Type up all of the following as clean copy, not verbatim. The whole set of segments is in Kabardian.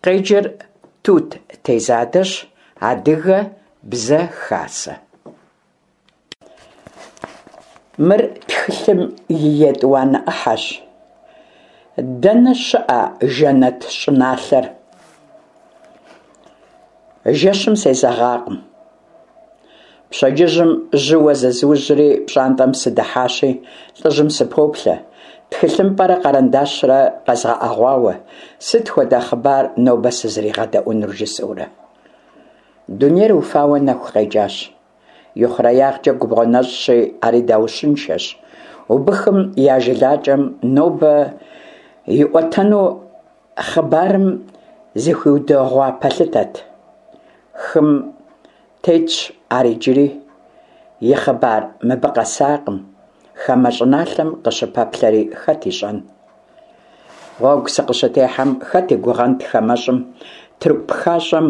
Къеджэр Тут Тезадэщ, Адыгэ бзэ хасэ. Мыр тхылъым и етӏуанэ ӏыхьэщ. Дэнэ щыӏэ жэнэт щӏыналъэр? Жэщым сезэгъакъым. Пщэдджыжьым жьыуэ зызужьри пщӏантӏэм сыдыхьащи, лӏыжьым сыпоплъэ, тхылъымпӏэрэ къэрэндащрэ къэзгъэӏэгъуауэ, сыт хуэдэ хъыбар нобэ сызригъэдэӏуэнур жысӏэурэ. Дунейр уфауэ нэху къекӏащ. Ихъуреягъкӏэ губгъуэ нэщӏщи, ари даущыншэщ. Убыхым я жылакӏэм нобэ иӏуэтэну хъыбарым зыхуиудэгъуа пэлъытэт. Хым тетщ ар иджыри, и хъыбар мыбы къэсакъым, хамэ щӏыналъэм къыщыпэплъэри хэт ищӏэн. Гъуэгу сыкъыщытехьэм хэт и гугъэнт хамэщӏым, тырку пхащӏэм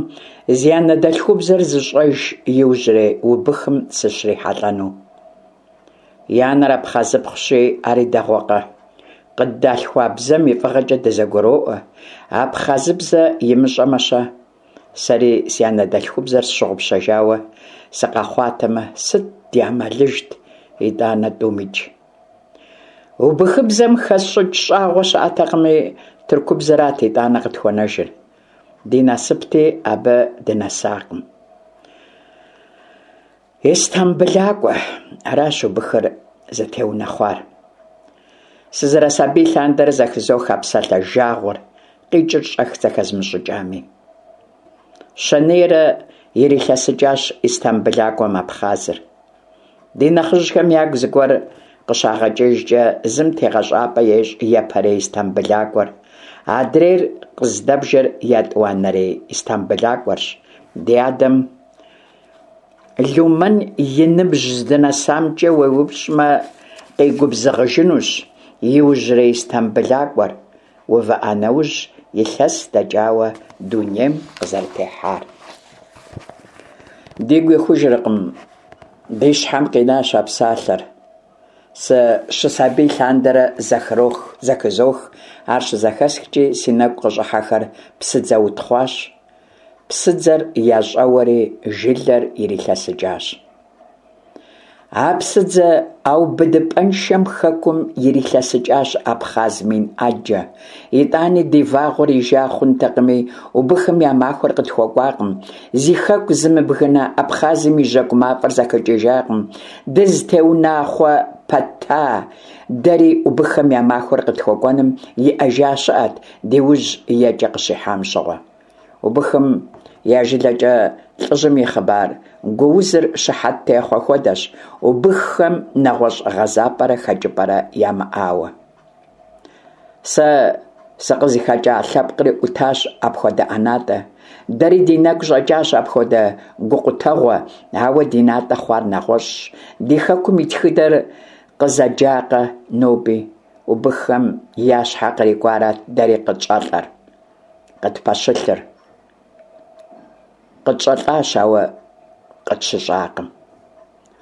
зи анэдэлъхубзэр зыщӏэж иужьрей убыхым сыщрихьэлӏэну. И анэр абхъазыпхъущи, ари дэгъуэкъэ. Къыддалъхуа бзэм и фӏыгъэкӏэ дызэгуроӏуэ. Абхъазыбзэ имыщӏэмэ-щэ? Сэри си анэдэлъхубзэр сщыгъупщэжауэ сыкъэхъуатэмэ, сыт ди ӏэмалыжт итӏанэ тӏумикӏ? Убыхыбзэм хэсщӏыкӏ щӏагъуэ щыӏэтэкъыми, тыркубзэрат итӏанэ къытхуэнэжыр. Ди насыпти, абы дынэсакъым. Истамбылакӏуэ, аращ убыхыр зытеунэхъуар. Сызэрысабий лъандэрэ зэхызох а псалъэ жагъуэр, къикӏыр щӏэх зэхэзмыщӏыкӏами. Щэнейрэ ирилъэсыкӏащ Истамбылакӏуэм Абхъазыр. Ди нэхъыжьхэм ягу зыгуэр къыщагъэкӏыжкӏэ, зым тегъэщӏапӏэ ещӏ япэрей Истамбылакӏуэр, адрейр къыздэбжэр етӏуанэрей Истамбылакӏуэрщ. Ди адэм Лумэн и ныбжь здынэсамкӏэ уеупщӏмэ, къигубзыгъыжынущ иужьрей Истамбылакӏуэр увыӏа нэужь илъэс дэкӏауэ дунейм къызэрытехьар. Дигу ихужыркъым, ди щхьэм къинащ а псалъэр. Сыщысабий лъандэрэ зэхрох, зэхызох, ар щызэхэсхкӏи си нэгу къыщӏыхьэхэр псыдзэ утхъуащ. Псыдзэр ящӏэуэри жылэр ирилъэсыкӏащ. А псыдзэ ӏэубыдыпӏэншэм хэкум ирилъэсыкӏащ абхъаз мин ӏэджэ. Итӏани ди вагъуэр ижа хъунтэкъыми, убыхым я махуэр къытхуэкӏуакъым. Зи хэку зымыбгына Абхъазым и жьэгу мафӏэр зэхэкӏыжакъым. Дызытеунахъуэ пэта дэри убыххэм я махуэр къытхуэкӏуэным иӏэжа щыӏэт ди ужь екӏэ къыщихьам щыгъуэ. Убыхым я жылэкӏэ лӏыжьым и хъыбар гуузыр щыхьэт техъуэ хуэдэщ, убыххэм нэгъуэщӏ гъэзапӏэрэ хэкӏыпӏэрэ ямыӏауэ. Сэ сыкъызыхэкӏа лъэпкъри ӏутащ апхуэдэ ӏэнатӏэ. Дэри ди нэгу щӏэкӏащ апхуэдэ гукъутэгъуэ, ауэ ди натӏэ хъуар нэгъуэщӏщ. Ди хэкум и тхыдэр къызэджакъэ ноби, убыххэм я щхьэ кърикӏуарат дэри къытщӏэлӏэр. Къытпэщылъыр. Къытщӏэлӏащ, ауэ къытщыщӏакъым.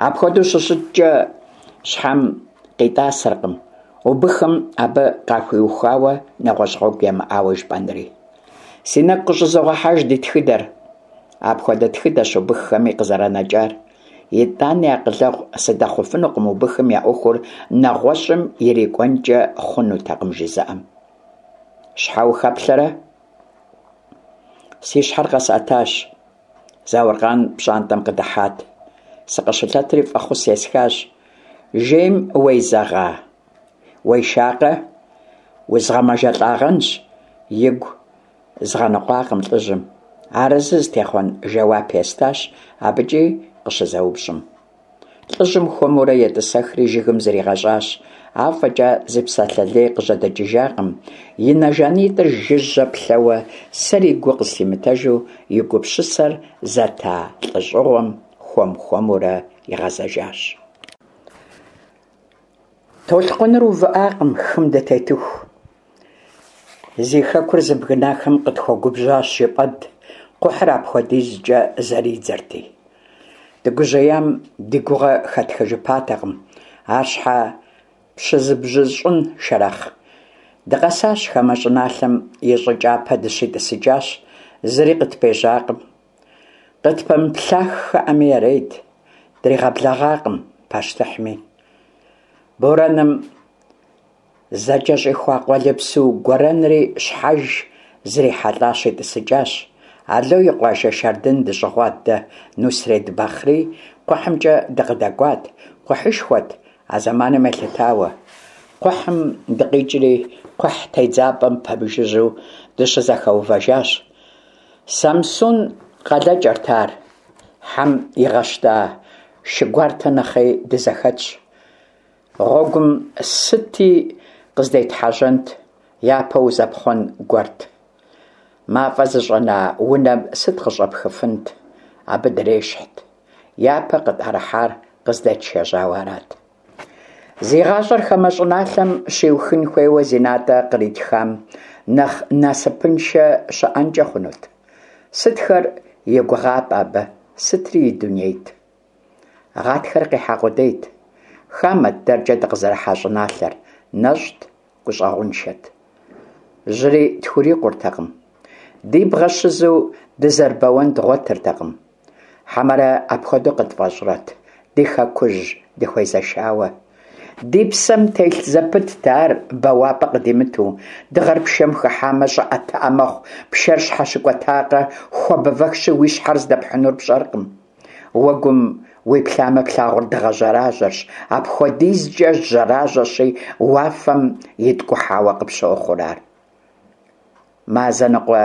Апхуэдэу щыщыткӏэ, щхьэм къитӏасэркъым, убыхым абы къахуиухуауэ нэгъуэщӏ гъуэгу ямыӏауэ жыпӏэнри. Си нэгу къыщӏызогъэхьэж ди тхыдэр. Апхуэдэ тхыдэщ убыххэми къызэранэкӏар. Итӏани акъылэгъу сыдэхъуфынукъым убыхым я ӏуэхур нэгъуэщӏым ирикӏуэнкӏэ хъунутэкъым жызыӏэм. Щхьэ ухэплъэрэ? Си щхьэр къэсӏэтащ. Зауркъан пщӏантӏэм къыдыхьат. Сыкъыщылъэтри фӏэхъус есхащ. Жейм уезэгъа? Уешакъэ? Узгъэмэжэлӏагъэнщ, игу згъэныкъуакъым лӏыжьым. Арэзы зытехъуэн жэуап естащ абыкӏи къыщызэупщӏым. Лӏыжьым хуэмурэ етӏысэхри жыгым зригъэщӏащ. Афӏэкӏа зы псалъэ лей къыжьэдэкӏыжакъым. И нэ жанитӏыр жыжьэ плъэуэ, сэри гу къыслъимытэжу и гупсысэр зэта лӏыщӏыгъуэм хуэм-хуэмурэ игъэзэжащ. Толъкъуныр увыӏакъым хым дытетыху. Зи хэкур зыбгынахэм къытхуэгубжьащ жыпӏэнт, кхъухьыр апхуэдизкӏэ зэридзэрти. Дыгужьеям ди гугъэ хэтхыжыпатэкъым, ар щхьэ пщызыбжьыщӏын, Шэрэхъ. Дыкъэсащ хамэ щӏыналъэм, и щӏы кӏапэ дыщитӏысыкӏащ, зыри къытпежьакъым. Къытпэмыплъаххэӏэми ярейт, дригъэблэгъакъым пащтыхьми. Борэным зэкӏэщӏихуа къуалэбзу гуэрэнри щхьэж зрихьэлӏа щитӏысыкӏащ. Ало и къуажэ Шардын дыщӏыгъуат дэ, Нусрет Бахъри кхъухьымкӏэ дыкъыдэкӏуат, кхъухьышхуэт а зэманым елъытауэ. Кхъухьым дыкъикӏри, кхъухь тедзапӏэм пэмыжыжьэу дыщызэхэувэжащ. Самсун къалэкӏэрт ар. Хьэм игъэщта шы гуартэ нэхъей дызэхэтщ. Гъуэгум сыти къыздетхьэжьэнт, япэ узэпхъуэн гуэрт. Мафӏэ зыщӏэна унэм сыт къыщӏэпхыфынт, абы дрещхьт. Япэ къытӏэрыхьар къыздетшэжьауэ арат. Зи гъащӏэр хамэ щӏыналъэм щиухын хуейуэ зи натӏэ къритхам нэхъ насыпыншэ щыӏэнкӏэ хъунут? Сытхэр и гугъапӏэ абы, сытри и дунейт? Гъатхэр къихьа къудейт. Хамэт дэркӏэ дыкъызэрыхьа щӏыналъэр, нэщӏт, гущӏэгъуншэт. Жьыри тхурикъуртэкъым. Ди бгъэ щызу дызэрыбэуэн дгъуэтыртэкъым. Хьэмэрэ апхуэдэу къытфӏэщӏрэт, ди хэкужь дыхуезэшауэ? Ди псэм телъ зэпытт ар бэуапӏэ къыдимыту. Дыгъэр пшэм хыхьамэ, щӏыӏэтыӏэ мэхъу, пшэр щхьэщыкӏуэтакъэ, хуабэвэхщи, уи щхьэр здэпхьынур пщӏэркъым. Уэгум уиплъамэ, плъагъур дыгъэ жьэражьэрщ, апхуэдизкӏэ жьэражьэщи, уафэм иткӏухьауэ къыпщохъур ар. Мазэ ныкъуэ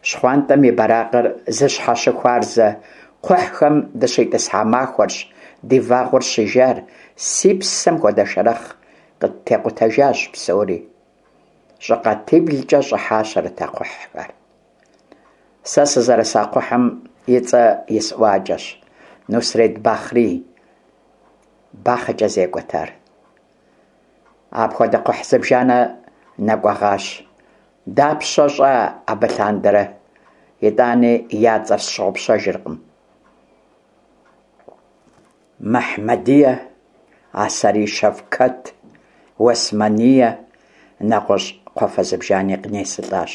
щхъуантӏэм и бэракъыр зыщхьэщыхуарзэ кхъухьхэм дыщитӏысхьа махуэрщ ди вагъуэр щижар, си псэм хуэдэ шэрэхъ къыттекъутэжащ псори. Щӏыкъатиблкӏэ щӏыхьащэрэт а кхъухьхэр. Сэ сызэрыса кхъухьым и цӏэ исӏуакӏэщ, Нусрет Бахъри. Бахъэкӏэ зекӏуэт ар. Апхуэдэ кхъухь зыбжанэ нэкӏуэгъащ. Дапщэ щӏа абы лъандэрэ? Итӏани я цӏэр сщыгъупщэжыркъым. Мэхьмэдие, Асари Шэвкэт, Уэсмание, нэгъуэщӏ кхъуафэ зыбжани къынесылӏащ.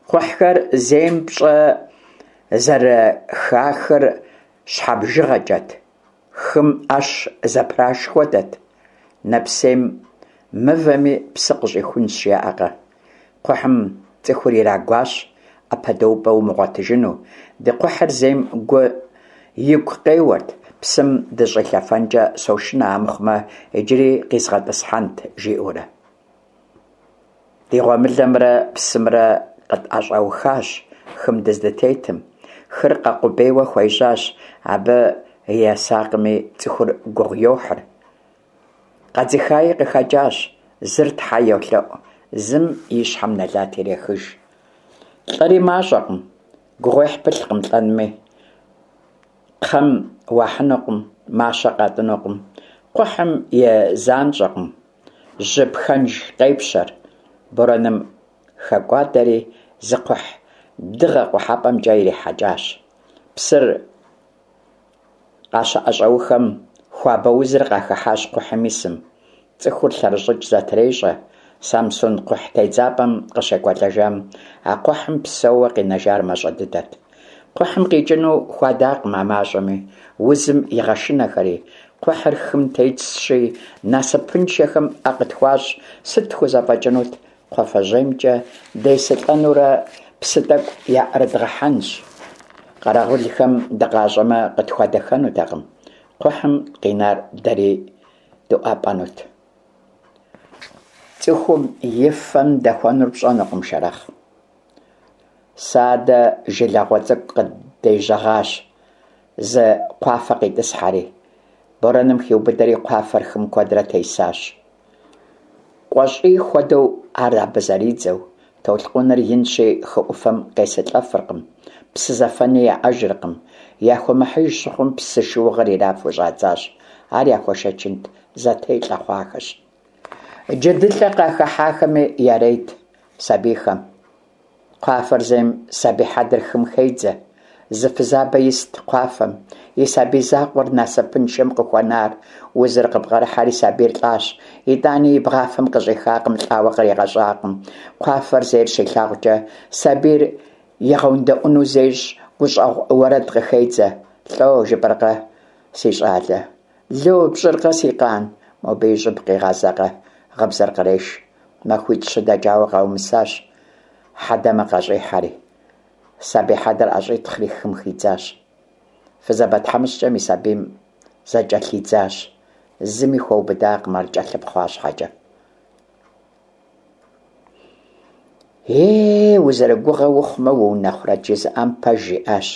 Кхъухьхэр зейм пщӏэ зэрыхахыр щхьэбжыгъэкӏэт. Хым ӏэщ зэпраш хуэдэт. Нэпсейм мывэми псы къыщӏихунщ, жаӏэкъэ. Кхъухьым цӏыхур ирагуащ, ӏэпэдэупӏэ умыгъуэтыжыну. Ди кхъухьыр зейм гу игу къеуэрт, псым дыщӏилъэфэнкӏэ сошынэ амыхъумэ, иджыри къизгъэтӏысхьэнт, жиӏэурэ. Ди гъуэмылэмрэ псымрэ къытӏэщӏэухащ хым дыздытетым. Хыр къэкъубейуэ хуежьащ, абы есакъыми, цӏыхур гугъу йохьыр. Къэдзыхаи къыхэкӏащ, зыр тхьэ йолъэӏу, зым и щхьэм нэлат ирехыж. Лӏэри мащӏэкъым, гугъуехь пылъкъым лӏэнми. Кхъэм уахьынукъым, мащэ къатӏынукъым, кхъухьым и занщӏэкъым. Жьы пхэнж къепщэр, борэным хэкӏуадэри, зы кхъухь дыгъэ къухьэпӏэмкӏэ ирихьэкӏащ. Псыр къащыӏэщӏэухэм хуабэ узыр къахыхьащ кхъухьым исым. Цӏыхур лъэрыщӏыкӏ зэтрещӏэ. Самсун кхъухь тедзапӏэм къыщекӏуэлӏэжам, а кхъухьым псэууэ къинэжар мащӏэ дыдэт. Кхъухьым къикӏыну хуадакъым а мащӏэми, узым игъэшынэхэри. Кхъухьыр хым тетщи, насыпыншэхэм ӏэ къытхуащӏ, сыт тхузэфӏэкӏынут? Кхъуафэжьеймкӏэ десылӏэнурэ псы тӏэкӏу яӏэрыдгъэхьэнщ. Къэрэгъулхэм дыкъащӏэмэ, къытхуадэхэнутэкъым. Кхъухьым къинар дэри дыӏуапӏэнут. Цӏыхум и фэм дэхуэнур пщӏэнукъым, Шэрэхъ. Садэ жылагъуэ цӏыкӏу къыддежьэгъащ, зы кхъуафэ къитӏысхьэри. Борэным хиубыдэри кхъуафэр хым куэдрэ тесащ. Къуэщӏий хуэдэу ар абы зэридзэу, толъкъуныр инщи, хы ӏуфэм къесылӏэфыркъым, псы зэфэни яӏэжыркъым. Яхуэмыхьыж щыхъум, псы шыугъэр ирафу щӏадзащ. Ар яхуэшэчынт, зэтелӏэ хъуахэщ. Джэдылӏэ къахыхьахэми ярейт сабийхэм. Кхъуафэр зейм сабий хьэдэр хым хедзэ. Зы фызабэ ист кхъуафэм, и сабий закъуэр насыпыншэм къыхуэнар. Узыр къыбгъэрыхьэри сабийр лӏащ. Итӏани и бгъафэм къыщӏихакъым, лӏауэ къригъэщӏакъым. Кхъуафэр зейр щилъагъукӏэ, сабийр игъэундэӏуну зещӏ, гущӏэгъу уэрэд къыхедзэ. Лӏо, жыпӏэркъэ, си щӏалэ? Ло, пщӏыркъэ, си къан? Мобы и щӏыб къигъазэкъэ, гъыбзэр къреш. Махуитӏ-щы дэкӏауэ къаумысащ, хьэдэмэ къащӏихьэри. Сабий хьэдэр ӏэщӏитхъри хым хидзащ. Фызабэ тхьэмыщкӏэм и сабийм зэкӏэлъидзащ. Зыми хуэубыдакъым ар кӏэлъыпхъуа щхьэкӏэ. Е, узэрыгугъэ ухъумэ, уунэхъурэт жызыӏам пэж жиӏащ.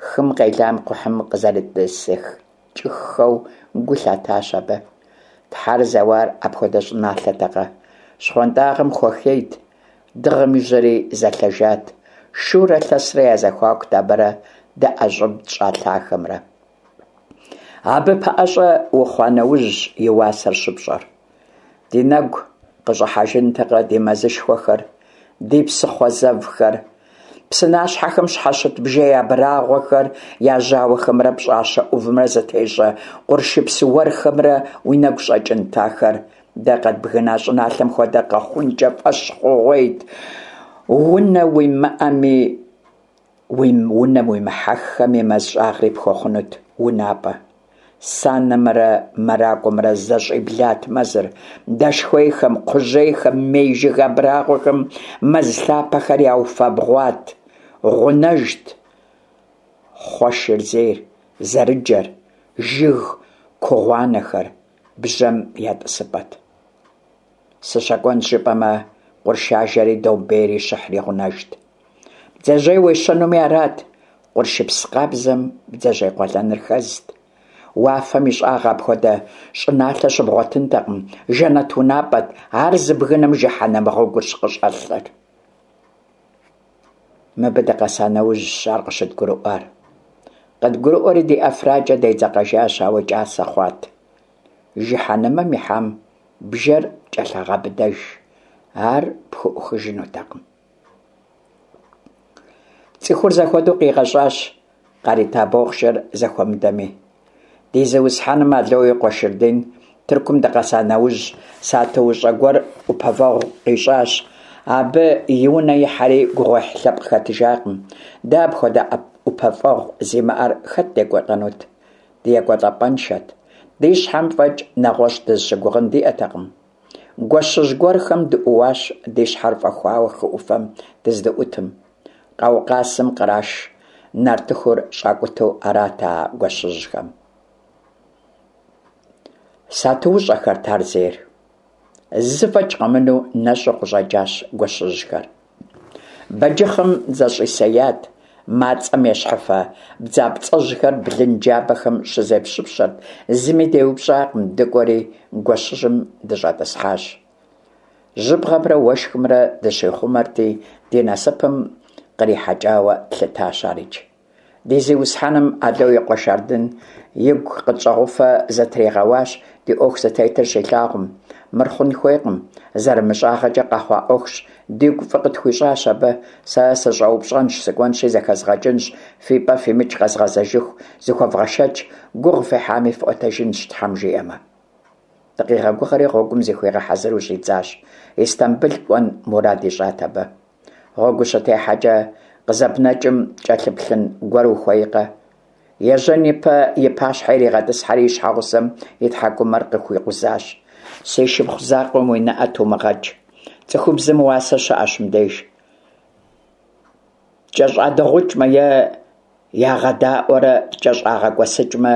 Хым къелам кхъухьым къызэрытӏысыкӏыххэу гу лъатащ абы. Тхьэр зэуар апхуэдэ щӏыналъэтэкъэ? Щхъуантӏагъэм хуэхейт, дыгъэм и жьэри зэлъэжат, шурэ лъэсрэ я зэхуакут абырэ дэ ӏэщӏыб тщӏа лъахэмрэ. Абы пэӏэщӏэ ухъуа нэужьщ и уасэр щыпщӏэр. Ди нэгу къыщӏыхьэжынтэкъэ ди мэзышхуэхэр, ди псыхъуэ зэвхэр, псынащхьэхэм щхьэщыт бжей абрагъуэхэр, я жьауэхэмрэ пщӏащэ ӏувымрэ зытещӏэ къуршыпс уэрхэмрэ уи нэгу щӏэкӏынт ахэр. Дэ къэдбгына щӏыналъэм хуэдэ къэхъункӏэ фӏэщ хъугъуейт. Унэ уимыӏэми, уи унэм уимыхьэххэми мэз щӏагъри пхуэхъунут унапӏэ. Санэмрэ мэракӏуэмрэ зэщӏиблат мэзыр. Дэшхуейхэм, кхъужьейхэм, мей жыг абрагъуэхэм мэз лъапэхэр яуфэбгъуат. Гъунэжт хъуэшыр зейр, зэрыджэр, жыг кугъуанэхэр бжьэм я тӏысыпӏэт. Сыщэкӏуэнщ жыпӏэмэ, къурш ажэри, домбейри, щыхьри гъунэжт. Бдзэжьей уещэнуми арат, къуршыпс къабзэм бдзэжьей къуэлэныр хэзт. Уафэм и щӏагъ апхуэдэ щӏыналъэ щыбгъуэтынтэкъым, жэнэт унапӏэт, ар зыбгынэм жыхьэнэмэ гъуэгурщ къыщӏэлъыр. Мыбы дыкъэса нэужьщ ар къыщыдгурыӏуар. Къыдгурыӏуэри ди ӏэфракӏэ дедзэкъэжащ, ауэ кӏасэ хъуат. Жыхьэнэмэм ихьам бжэр кӏэлъагъэбыдэж, ар пхуӏухыжынутэкъым. Цӏыхур зэхуэдэу къигъэщӏащ, къарита бохъшэр зэхуэмыдэми. Ди зиусхьэным Ало и къуэ Шырдин Тыркум дыкъэса нэужь, сатуущӏэ гуэр ӏупэвэгъу къищӏащ. Абы и унэ ихьэри гугъуехь лъэпкъ хэтыжакъым. Дэ апхуэдэ ӏупэфӏэгъу зимыӏэр хэт декӏуэлӏэнут? Ди екӏуэлӏапӏэншэт. Ди щхьэм фӏэкӏ нэгъуэщӏ дызыщыгугъын диӏэтэкъым. Гуэщыжь гуэрхэм дыӏууащ ди щхьэр фӏэхуауэ хы ӏуфэм дыздыӏутым. Къаукъазым къраш нартыхур щӏакӏутэу арат а гуэщыжьхэм. Сатуущӏэхэрт ар зейр. Зы фӏэкӏ къэмынэу нэщӏу къыщӏэкӏащ гуэщыжьхэр. Бэджыхъым зэщӏисеят, мацӏэм ещхьыфэ бдзапцӏэжьхэр блын джабэхэм щызепщыпщэрт, зыми деупщӏакъым, дыкӏуэри гуэщыжьым дыщӏэтӏысхьащ. Жьыбгъэмрэ уэшхымрэ дыщихъумэрти, ди насыпым кърихьэкӏауэ тлъытащ арикӏ. Ди зиусхьэным Ало и къуэ Шардын игу къытщӏэгъуфэ зытригъэуащ ди ӏуэху зытетыр щилъагъум. Мыр хъун хуейкъым, зэрымыщӏагъэкӏэ къэхъуа ӏуэхущ, дигу фӏы къытхуищӏащ абы. Сэ сыщӏэупщӏэнщ, сыкӏуэнщи зэхэзгъэкӏынщ, фи пӏэ фимыкӏ къэзгъэзэжыху зыхуэвгъэшэч, гугъу фехьами фӏуэтэжынщ, Тхьэм жиӏэмэ. Дыкъигъэгугъэри гъуэгум зыхуигъэхьэзыру щӏидзащ. Истамбыл кӏуэн мурад ищӏат абы. Гъуэгу ущытехьэкӏэ къызэбнэкӏым кӏэлъыплъын гуэр ухуейкъэ? Ежьэн ипэ и пащхьэ иригъэтӏысхьэри и щхьэгъусэм и тхьэкӏумэр къыхуикъузащ. Си шыпхъу закъуэм уи нэӏэ тумыгъэкӏ. Цӏыхубзым уасэ щыӏэщ мыбдеж. Ткӏэщӏадыгъукӏмэ е ягъэдаӏуэрэ ткӏэщӏагъэкӏуэсыкӏмэ,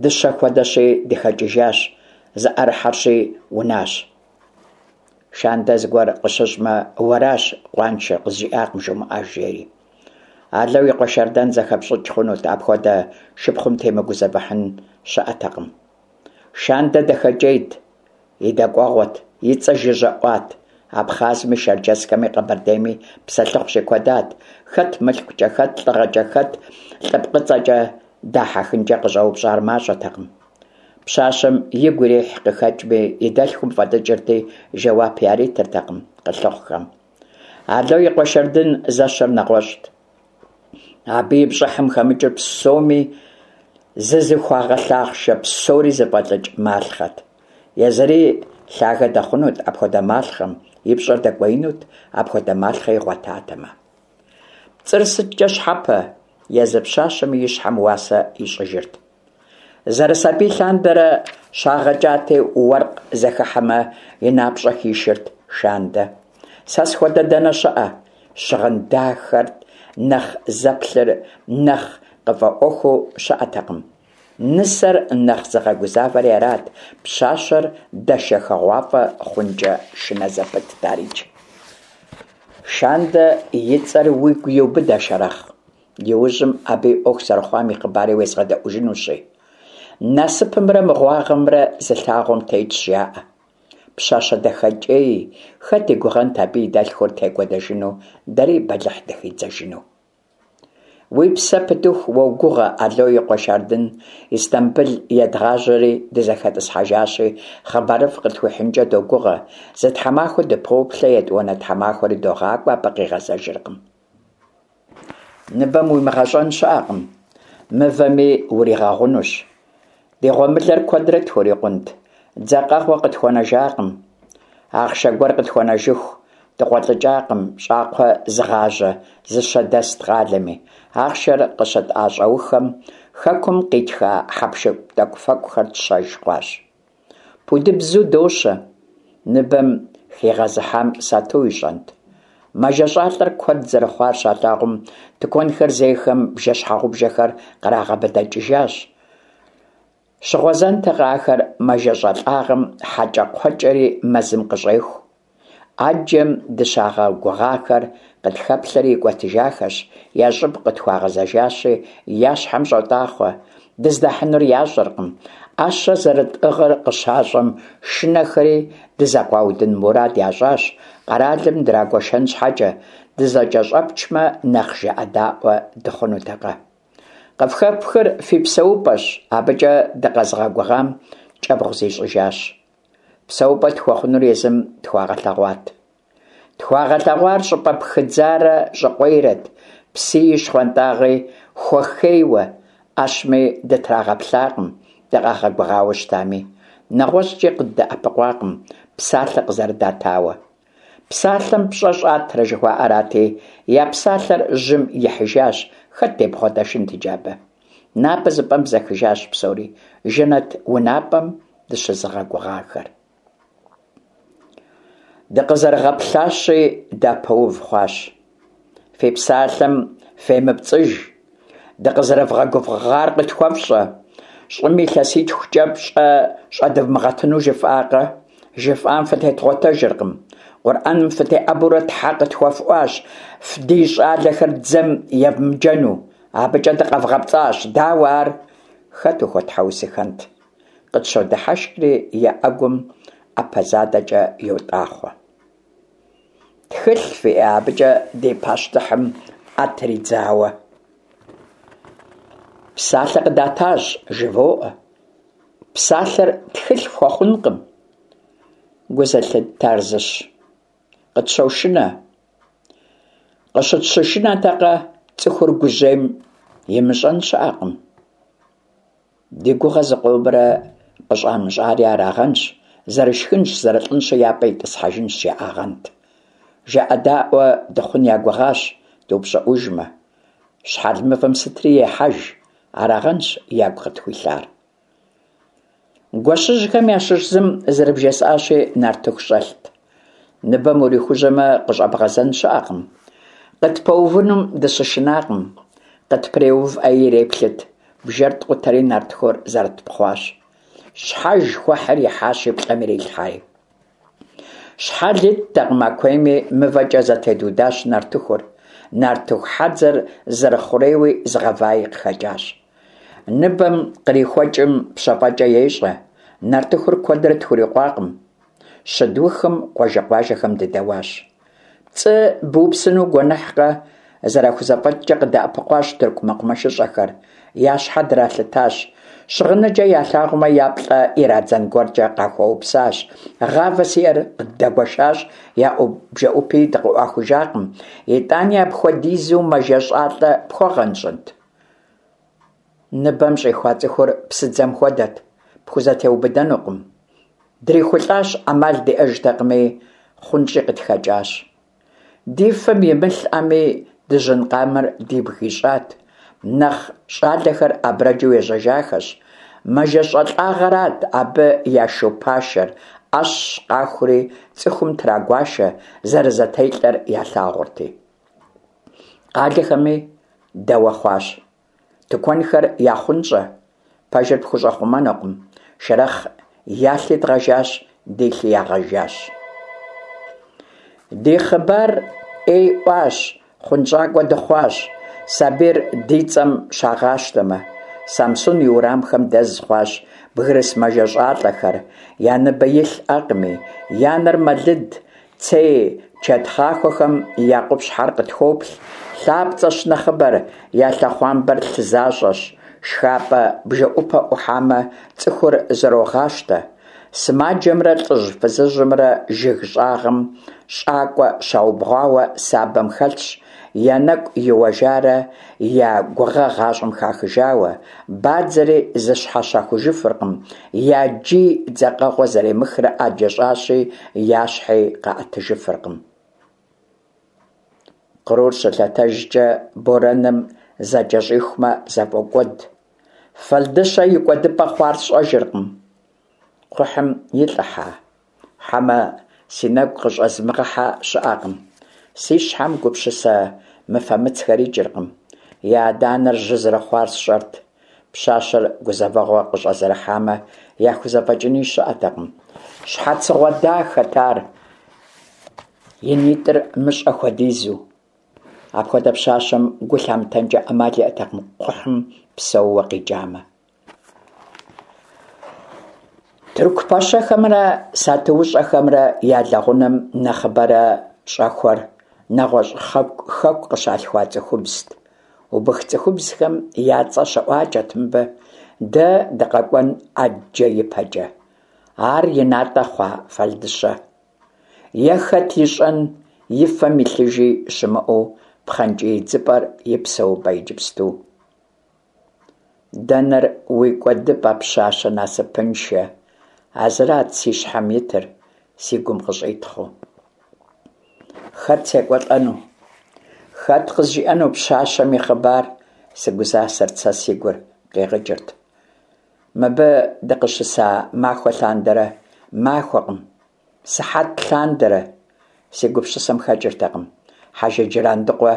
дыщэ хуэдэщи дыхэкӏыжащ, зыӏэрыхьэрщи унащ. Шандэ зыгуэр къыщыщӏмэ, уэращ къуаншэр, къызжиӏакъым жумыӏэж, жери. Ало и къуэ Шардэн зэхэпщӏыкӏ хъунут, апхуэдэ шыпхъум темыгузэвыхьын щыӏэтэкъым. Шандэ дахэкӏейт, и дэкӏуэгъуэт, и цӏэ жыжьэ ӏуат, Абхъазми, Шэрджэсхэми, Къэбэрдейми псэлъыхъу щикуэдат, хэт мылъкукӏэ, хэт лӏыгъэкӏэ, хэт лӏыпкъыцӏэкӏэ дахьэхынкӏэ къыщӏэупщӏар мащӏэтэкъым. Пщащэм игу ирихь къыхэкӏми, и дэлъхум фӏэлӏыкӏырти, жэуап яритыртэкъым къылъыхъухэм. Ало и къуэ Шардын зэщэр нэгъуэщӏт. Абы и пщӏыхьым хэмыкӏыр псоми зызыхуагъэлъахъшэ, псори зыфӏэлӏыкӏ малъхъэт. Езыри лъагэ дэхъунут апхуэдэ малъхъэм, и пщӏэр дэкӏуеинут апхуэдэ малъхъэ игъуэтатэмэ. Пцӏыр сыткӏэ щхьэпэ, езы пщащэми и щхьэм уасэ ищӏыжырт. Зэрысабий лъандэрэ щагъэкӏати, уэркъ зэхыхьэмэ, и напщӏэ хишырт Шандэ. Сэ схуэдэ дэнэ щыӏэ? Щыгъын дахэрт нэхъ зэплъыр, нэхъ къыфӏэӏуэхуу щыӏэтэкъым. Нысэр нэхъ зыгъэгузавэри арат, пщащэр дэшэхыгъуафӏэ хъункӏэ шынэ зэпытт арикӏ. Шандэ и цӏэр уигу иубыдэ, Шэрэхъ. Иужьым абы и ӏуэху зэрыхъуам и хъыбари уезгъэдэӏужынущи. Насыпымрэ мыгъуагъэмрэ зы лъагъуэм тетщ, жаӏэ. Пщащэ дахэкӏей, хэт и гугъэнт абы и дэлъхур текӏуэдэжыну, дэри бэлыхь дыхидзэжыну. Уи псэ пытыху уогугъэ Ало и къуэ Шардын Истамбыл едгъажьэри дызэхэтӏысхьэжащи, хъыбарыфӏ къытхуихьынкӏэ догугъэ. Зы тхьэмахуэ дыпоплъэ, етӏуанэ тхьэмахуэри догъакӏуэ, абы къигъэзэжыркъым. Ныбэм уимыгъэщӏэн щыӏэкъым, мывэми уригъэгъунущ. Ди гъуэмылэр куэдрэ тхурикъунт, дзэкъэгъуэ къытхуэнэжакъым. Ахъшэ гуэр къытхуэнэжыху дыкъуэлӏыкӏакъым, щӏакхъуэ зыгъажьэ зыщэ дэст къалэми. Ахъшэр къыщытӏэщӏэухэм хэкум къитха хьэпшып тӏэкӏуфэкӏухэр тщэж хъуащ. Пудыбзу дощэ. Ныбэм хигъэзыхьам сату ищӏэнт. Мэжэщӏалӏэр куэд зэрыхъуар щалъагъум, тыкуэнхэр зейхэм бжэ-щхьэгъубжэхэр кърагъэбыдэкӏыжащ. Щыгъуэзэнтэкъэ ахэр мэжэщӏалӏагъэм хьэкӏэкхъуэкӏэри мэзым къыщӏеху. ӏэджэм дыщагъэгугъахэр къытхэплъэри икӏуэтыжахэщ, я щӏыб къытхуагъэзэжащи, я щхьэм щӏотӏахъуэ. Дыздахьынур ящӏэркъым. ӏэщэ зэрытӏыгъыр къыщащӏэм, шынэхэри дызэкъуаудын мурад ящӏащ, къэралым драгуэшэн щхьэкӏэ, дызэкӏэщӏэпчмэ, нэхъ жыӏэдаӏуэ дыхъунутэкъэ. Къыфхэфхыр фи псэупӏэщ, абыкӏэ дыкъэзыгъэгугъам кӏэбгъу зищӏыжащ. Псэупӏэ тхуэхъунур езым тхуагъэлъэгъуат. Тхуагъэлъэгъуар щӏыпӏэ пхыдзарэ щӏыкъуейрэт, псыи щхъуантӏагъи хуэхейуэ, ӏэщми дытрагъэплъакъым, дыкъагъэгугъауэ щытами. Нэгъуэщӏкӏи къыддэӏэпыкъуакъым, псалъэ къызэрыдатауэ. Псалъэм пщӏэ щӏатрэ жыхуаӏэрати, я псалъэр жьым ихьыжащ, хэт дебгъуэдэшынт иджы абы? Напӏэ зыпӏэм бзэхыжащ псори, жэнэт унапӏэм дыщызыгъэгугъахэр. Дыкъызэрыгъэплъащи, дапэув хъуащ. Фи псалъэм фемыпцӏыж, дыкъызэрывгъэгугъар къытхуэфщӏэ. Щӏым илъэситхукӏэ пщӏэ щӏэдывмыгъэтыну жыфӏакъэ? Жыфӏам фытедгъуэтэжыркъым. Къурӏэным фытеӏэбурэ тхьэ къытхуэфӏуащ ди щӏалэхэр дзэм евмыджэну. Абыкӏэ дыкъэвгъэпцӏащ, дауэ ар? Хэт ухуэтхьэусыхэнт? Къытщодыхьэшхри, я ӏэгум ӏэпэ задэкӏэ йотӏахъуэ. Тхылъ фиӏэ абыкӏэ ди пащтыхьым ӏэ тридзауэ? Псалъэ къыдатащ, жывоӏэ. Псалъэр тхылъ фхуэхъункъым. Гу зылъыттар зыщ. Къытщошынэ. Къыщытщышынэтэкъэ, цӏыхур гужьейм имыщӏэн щыӏэкъым. Ди гугъэ зыкъомрэ къыщӏамыщӏари арагъэнщ, зэрышхынщ, зэрылӏынщи я пӏэ итӏысхьэжынщ жаӏагъэнт. Жыӏэдаӏуэ дыхъун я гугъащ, дыупщӏыӏужмэ. Щхьэл мывэм сытри ехьэж, арагъэнщ ягу къытхуилъар. Гуэщыжьхэм ящыщ зым, зэрыбжесӏащи, нартыху щӏэлът. Ныбэм урихужьэмэ, къыщӏэбгъэзэн щыӏэкъым. Къытпэувынум дыщышынакъым. Къытпреувӏэи иреплъыт, бжэр ткъутэри нартыхур зэрытпхъуащ. Щхьэж хуэхьыр ихьащ и плӏэм ирилъхьэри. Щхьэл иттэкъым а куейми, мывэкӏэ зэтедудащ нартыхур. Нартыху хьэдзэр зэрыхъурейуи зыгъэваи къыхэкӏащ. Ныбэм кърихуэкӏым пщэфӏэкӏэ ещӏэ, нартыхур куэдрэ тхурикъуакъым. Щыдухым къуажэ-къуажэхэм дыдэуащ. Пцӏы быупсыну гуэныхькъэ, зэрахузэфӏэкӏкӏэ къыдэӏэпыкъуащ тырку мэкъумэшыщӏэхэр, я щхьэ дралъытащ. Щыгъыныджэ ялъагъумэ, я плӏэ ирадзэн гуэркӏэ къахуэупсащ. Гъавэ зиӏэр къыддэгуэшащ, я бжэӏупи дыкъыӏуахужакъым. Итӏани апхуэдизу мэжэщӏалӏэ пхуэгъэнщӏынт? Ныбэм щӏихуа цӏыхур псыдзэм хуэдэт, пхузэтеубыдэнукъым. Дрихулӏащ, ӏэмал диӏэжтэкъыми, хъунщӏи къытхэкӏащ. Ди фэм имылъӏэми, дыжьын къамэр дибг ищӏат. Нэхъ щӏалэхэр абрэджу ежьэжахэщ. Мэжэщӏэлӏагъэрат абы я шу пашэр, ӏэщ къахури цӏыхум трагуашэ, зэрызэтелӏэр ялъагъурти. Къалэхэми дэуэ хъуащ. Тыкуэнхэр яхъунщӏэ, пэжыр пхущӏэхъумэнукъым. Шэрэхъ я лъи дгъэжащ, ди лъи ягъэжащ. Ди хъыбар ӏей ӏуащ, хъунщӏакӏуэ дыхъуащ, сабийр ди цӏэм щагъащтэмэ. Самсун и уэрамхэм дэз хъуащ бгырыс мэжэщӏалӏэхэр, я ныбэ илъ ӏэкъыми, я нэр мэлыд, Цей чэтхъахуэхэм я къупщхьэр къытхоплъ, лъапцӏэщ нэхъыбэр, я лъэхъуамбэр лъы защӏэщ. Шхапӏэ бжэӏупэ ӏухьамэ, цӏыхур зэрогъащтэ. Сымаджэмрэ лӏыжь-фызыжьымрэ жыг щӏагъым щӏакӏуэ щаубгъуауэ сабэм хэлъщ, я нэкӏу иуэжарэ я гугъэ гъащӏэм хахыжауэ, бадзэри зыщхьэщахужыфыркъым, я джий дзэкъэгъуэ зэремыхрэ ӏэджэ щӏащи, я щхьи къаӏэтыжыфыркъым. Кърур щылъэтэжкӏэ борэным зэкӏэщӏихумэ, зэфӏокӏуэд. Фэлдыщэ и кӏуэдыпӏэ хъуар сщӏэжыркъым. Кхъухьым илӏыхьа? Хьэмэ си нэгу къыщӏэзмыгъэхьэ щыӏэкъым. Си щхьэм гупсысэ мыфэмыцхэр икӏыркъым. И адэ-анэр жьы зэрыхъуар сщӏэрт. Пщащэр гузэвэгъуэ къыщӏэзэрыхьамэ, яхузэфӏэкӏыни щыӏэтэкъым. Щхьэцыгъуэ дахэт ар, и нитӏыр мыщӏэ хуэдизу. Апхуэдэ пщащэм гу лъамытэнкӏэ ӏэмал иӏэтэкъым кхъухьым псэууэ къикӏамэ. Тырку пэщэхэмрэ сатуущӏэхэмрэ я лэгъунэм нэхъыбэрэ щӏэхуэр нэгъуэщӏ хэку къыщалъхуа цӏыхубзт. Убых цӏыхубзхэм я цӏэ щыӏуакӏэт мыбы, дэ дыкъэкӏуэн ӏэджэ ипэкӏэ. Ар и натӏэ хъуа Фэлдыщэ? Е хэт ищӏэн, и фэм илъыжи щымыӏэу пхъэнкӏий идзыпӏэр и псэупӏэ иджыпсту? Дэнэр уи кӏуэдыпӏэ, пщащэ насыпыншэ? А зырат си щхьэм итыр, си гум къыщӏитхъыу. Хэт секӏуэлӏэну? Хэт къызжиӏэну пщащэм и хъыбар? Сыгузасэрт сэ, си гур къигъыкӏырт. Мыбы дыкъыщыса махуэ лъандэрэ, махуэкъым, сыхьэт лъандэрэ си гупсысэм хэкӏыртэкъым Хьэжы Джырандыкъуэ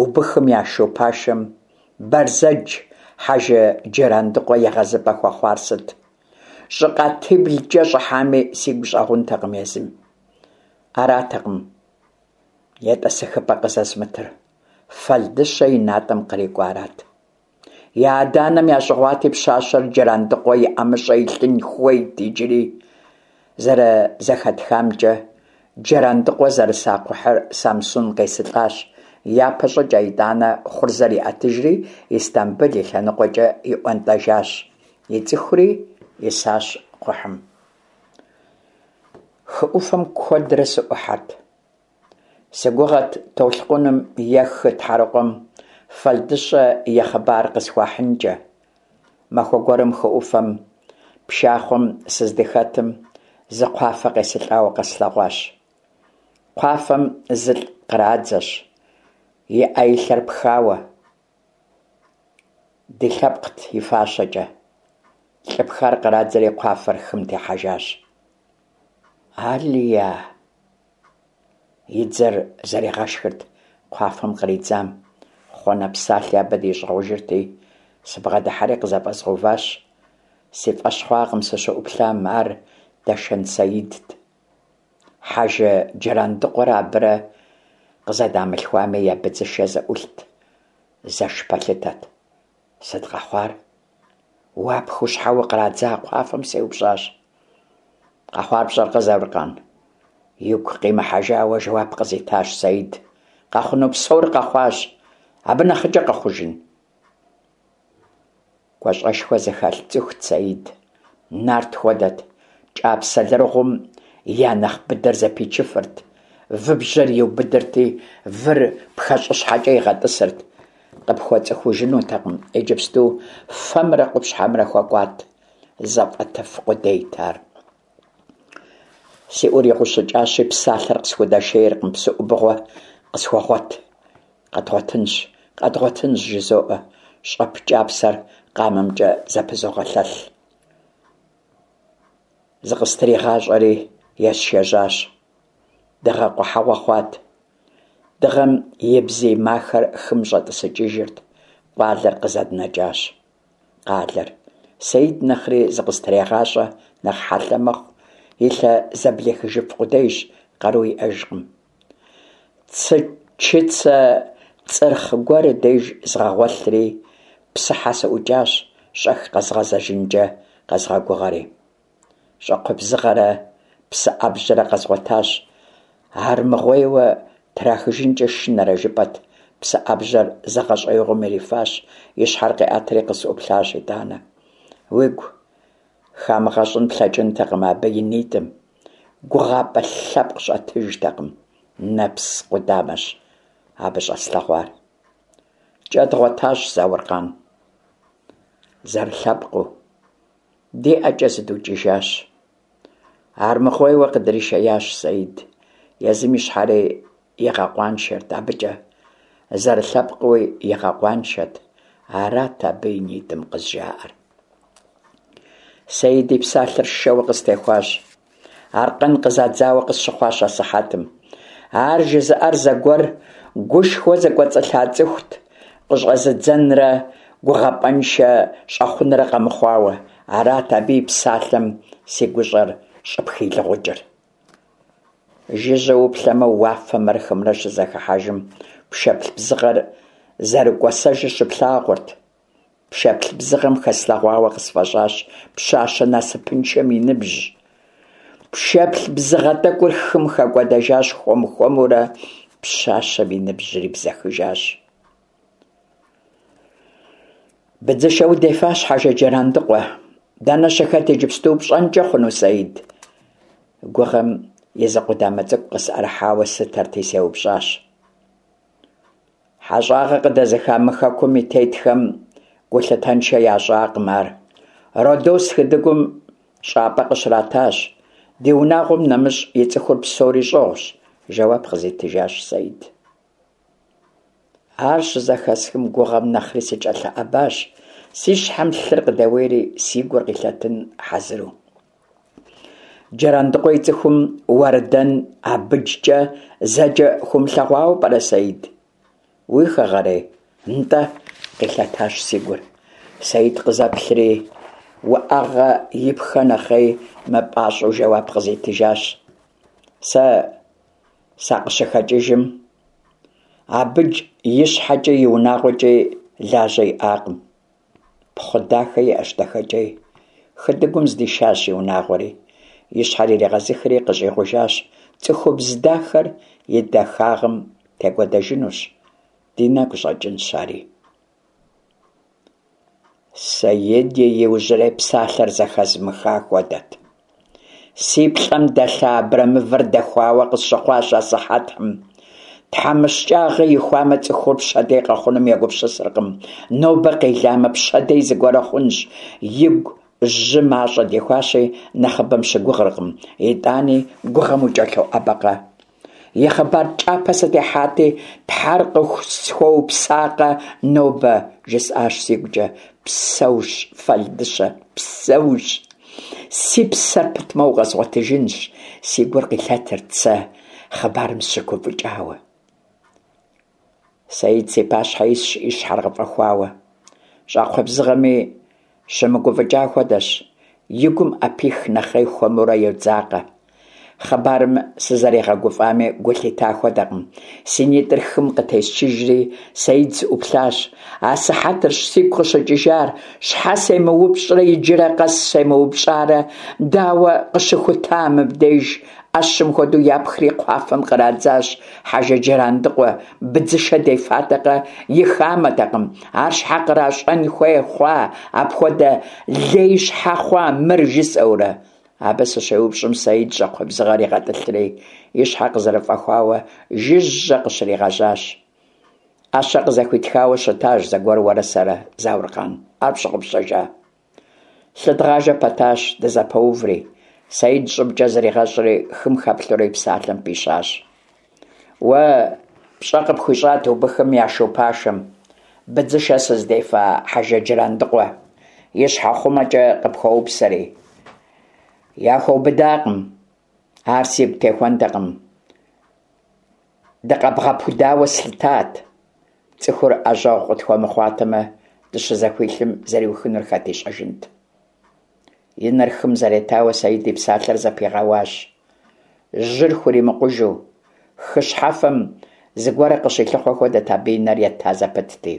убыхым я шу пашэм Бэрзэдж Хьэжы Джырандыкъуэ егъэзыпӏэ хуэхъуар сыт? Щӏы къатиблкӏэ щӏыхьами сигу щӏэгъунтэкъым езым. Аратэкъым етӏысэхыпӏэ къызэзымытыр, Фэлдыщэ и натӏэм кърикӏуарат. Я адэ-анэм ящӏыгъуати, пщащэр Джырандыкъуэ и ӏэмыщӏэ илъын хуейт иджыри. Зэрызэхэтхамкӏэ, Джырандыкъуэ зэрыса кхъухьыр Самсун къесылӏащ япэщӏыкӏэ, итӏанэ хъурзэр иӏэтыжри, Истамбыл и лъэныкъуэкӏэ иӏуэнтӏэжащ. И цӏыхури исащ кхъухьым. Хы ӏуфэм куэдрэ сыӏухьэрт. Сыгугъэт толъкъуным е хы тхьэрыкъуэм Фэлдыщэ и хъыбар къысхуахьынкӏэ. Махуэ гуэрым хы ӏуфэм пшахъуэм сыздыхэтым зы кхъуафэ къесылӏауэ къэслъэгъуащ. Кхъуафэм зылӏ кърадзэщ, и ӏэ-и лъэр пхауэ. Ди лъэпкът и фащэкӏэ. Лӏы пхар кърадзэри кхъуафэр хым техьэжащ. Алия! И дзэр зэригъэшхырт кхъуафэм къридзам. Хъуэнэ псалъи абы дищӏыгъужырти, сыбгъэдыхьэри къызэфӏэзгъэуващ. Си фӏэщ хъуакъым сыщыӏуплъам, ар Дэшэн Саидт. Хьэжы Джырандыкъуэрэ абырэ къызэдамылъхуами, я быдзышэ зэӏулът, зэш пэлъытэт. Сыт къэхъуар? Уапхыу щхьэ укърадза кхъуафэм сеупщӏащ. Къэхъуар пщӏэркъэ, Зауркъан? Игу къимыхьэжауэ жэуап къызитащ Саид. Къэхъуну псор къэхъуащ. Абы нэхъыкӏэ къэхъужын? Гуащӏэшхуэ зыхэлъ цӏыхут Саид. Нарт хуэдэт. Кӏапсэ лэрыгъум я нэхъ быдэр зэпичыфырт. Выбжьэр иубыдырти, выр пхэщӏыщхьэкӏэ игъэтӏысырт. Къыпхуэцӏыхужынутэкъым, иджыпсту фэмрэ къупщхьэмрэ хуэкӏуат, зэфӏэтыф къудейт ар. Си ӏур игъущыкӏащи, псалъэр къысхудэшейркъым, псы ӏубыгъуэ къысхуэгъуэт. Къэдгъуэтынщ, къэдгъуэтынщ, жызоӏэ, щӏэп кӏапсэр къамэмкӏэ зэпызогъэлъэлъ. Зыкъыстригъащӏэри есшэжьащ. Дыгъэ къухьэгъуэ хъуат. Дыгъэм и бзий махэр хым щӏэтӏысыкӏыжырт. Къуалэр къызэднэкӏащ. Къалэр. Саид нэхъри зыкъыстрегъащӏэ, нэхъ хьэлъэ мэхъу, и лъэ зэблихыжыф къудейщ, къару иӏэжкъым. Цы чыцэ цӏырхъ гуэр деж згъэгъуэлъри, псыхьэ сыӏукӏащ, щӏэх къэзгъэзэжынкӏэ къэзгъэгугъэри. Щӏакхъуэ бзыгъэрэ псы ӏэбжьэрэ къэзгъуэтащ. Армыгъуейуэ трахыжынкӏэ шынэрэ жыпӏэт, псы ӏэбжьэр зы гъэщӏеигъуэм ирифащ, и щхьэр къиӏэтри къысӏуплъащ итӏанэ. Уигу хамыгъэщӏын плъэкӏынтэкъым абы и нитӏым. Гугъапӏэ лъэпкъ щӏэтыжтэкъым, нэпс къудамэщ абы щӏэслъэгъуар. Кӏэ дгъуэтащ, Зауркъан. Зэрылъэпкъыу. Ди ӏэкӏэ зыдукӏыжащ. Армыгъуейуэ къыдришеящ Саид. Езым и щхьэри игъэкъуаншэрт абыкӏэ, зэрылъэпкъыуи игъэкъуаншэт. Арат абы и нитӏым къызжаӏэр. Саид и псалъэр шэуэ къыстехуащ. Аркъэн къызадзауэ къысщыхъуащ асыхьэтым. Ар жызыӏэр зэгуэр гушхуэ зыкӏуэцӏылъа цӏыхут, къыщӏэзыдзэнрэ гугъапӏэншэ щӏэхъунрэ къэмыхъуауэ. Арат абы и псалъэм си гущӏэр щӏыпхилыгъукӏыр. Жыжьэу уплъэмэ, уафэмрэ хымрэ щызэхыхьэжым пшэплъ бзыгъэр зэрыкӏуэсэжыр щыплъагъурт. Пшэплъ бзыгъэм хэслъэгъуауэ къысфӏэщӏащ пщащэ насыпыншэм и ныбжь. Пшэплъ бзыгъэ тӏэкӏур хым хэкӏуэдэжащ хуэм-хуэмурэ, пщащэм и ныбжьри бзэхыжащ. Быдзышэ удефащ, Хьэжы Джэрандыкъуэ. Дэнэ щыхэт иджыпсту пщӏэнкӏэ хъуну, Саид? Гугъэм и зы къудамэ цӏыкӏу къысӏэрыхьауэ слъытэрти, сеупщӏащ. Хьэщӏагъэ къыдэзыха мы хэкум и тетхэм гулъытэншэ ящӏакъым ар. Родос хытӏыгум щӏапӏэ къыщратащ. Ди унагъуэм нэмыщӏ ицӏыхур псори щӏыгъущ, жэуап къызитыжащ Саид. Ар щызэхэсхым гугъэм нэхъри сыкӏэлъыӏэбащ, си щхьэм лъыр къыдэуейри, си гур къилъэтын хьэзыру. Джэрандыкъуэ и цӏыхум Уэрдэн Абыджкӏэ зэджэ хыумылъэгъуауэ пӏэрэ, Саид? Уи хэгъэрей? Нтӏэ, къилъэтащ си гур. Саид къызэплъри, уӏэгъэ ипхэ нэхъей мыпӏащӏэу жэуап къызитыжащ. Сэ сакъыщыхэкӏыжым, Абыдж и щхьэкӏи и унагъуэкӏи лажьэ иӏакъым. Пхъу дахэ иӏэщ дахэкӏей. Хытӏыгум здишащ и унагъуэри. И щхьэр иригъэзыхри къыщӏигъужащ, Цӏыхубз дахэр и дахагъым текӏуэдэжынущ, ди нэгу щӏэкӏынщ ари. Саид и иужьрей псалъэр зэхэзмыха хуэдэт. Си плӏэм дэлъа абрэмывэр дэхуауэ къысщыхъуащ асыхьэтым. Тхьэмыщкӏагъэ ихуамэ, цӏыхур пщэдей къэхъунум егупсысыркъым. Нобэ къеламэ, пщэдей зыгуэрэ хъунщ. Игу жьы мащӏэ дихуащи, нэхъыбэм щыгугъыркъым. Итӏани гугъэм укӏэлъоӏэбэкъэ. И хъыбар кӏапэ сытехьати, Тхьэр къысхуэупсакъэ нобэ, жысӏащ сигукӏэ. Псэущ, Фэлдыщэ, псэущ. Си псэр пытмэ, укъэзгъуэтыжынщ, си гур къилъэтырт сэ хъыбарым сыщыгуфӏыкӏауэ. Саид си пащхьэ исщ и щхьэр къыфӏэхуауэ. Щӏакхъуэ бзыгъэми щымыгуфӏыкӏа хуэдэщ, и гум ӏэпих нэхъей хуэмурэ йодзакъэ. Хъыбарым сызэригъэгуфӏами гу лъита хуэдэкъым. Си нитӏыр хым къытесчыжри, Саид сыӏуплъащ. Асыхьэтырщ сигу къыщыкӏыжар, щхьэ семыупщӏрэ иджырэ къэс семыупщӏарэ, дауэ къыщыхута мыбдеж? ӏэщым хуэдэу япхри кхъуафэм кърадзащ Хьэжы Джырандыкъуэ, быдзышэ дефатэкъэ, и хамэтэкъым. Ар щхьэ къращӏэн хуей хъуа, апхуэдэ лей щхьэ хъуа мыр, жысӏэурэ. Абы сыщеупщӏым, Саид щӏакхъуэ бзыгъэр игъэтӏылъри, и щхьэ къызэрыфӏэхуауэ жыжьэ къыщригъэжьащ. ӏэщэ къызэхуитхауэ щытащ зэгуэр уэрэ сэрэ, Зауркъан. Ар пщыгъупщэжа? Лъы дгъажэ пэтащ, дызэпэуври. Саид щӏыбкӏэ зригъэщӏри, хым хэплъэурэ и псалъэм пищащ. Уэ пщӏэ къыпхуищӏат убыхым я шу пашэм, быдзышэ сыздефа Хьэжы Джырандыкъуэ, и щхьэхъумэкӏэ къыпхуэупсэри. Яхуэубыдакъым. Ар сигу техуэнтэкъым. Дыкъэбгъэпудауэ слъытат. Цӏыхур ӏэжьэгъу къытхуэмыхъуатэмэ, дыщызэхуилъым зэриухынур хэт ищӏэжынт. И нэр хым зэретауэ Саид и псалъэр зэпигъэуащ. Жьыр хуримыкъужу, хы щхьэфэм зыгуэрэ къыщилъыхъуэ хуэдэт абы и нэр ета зэпытти.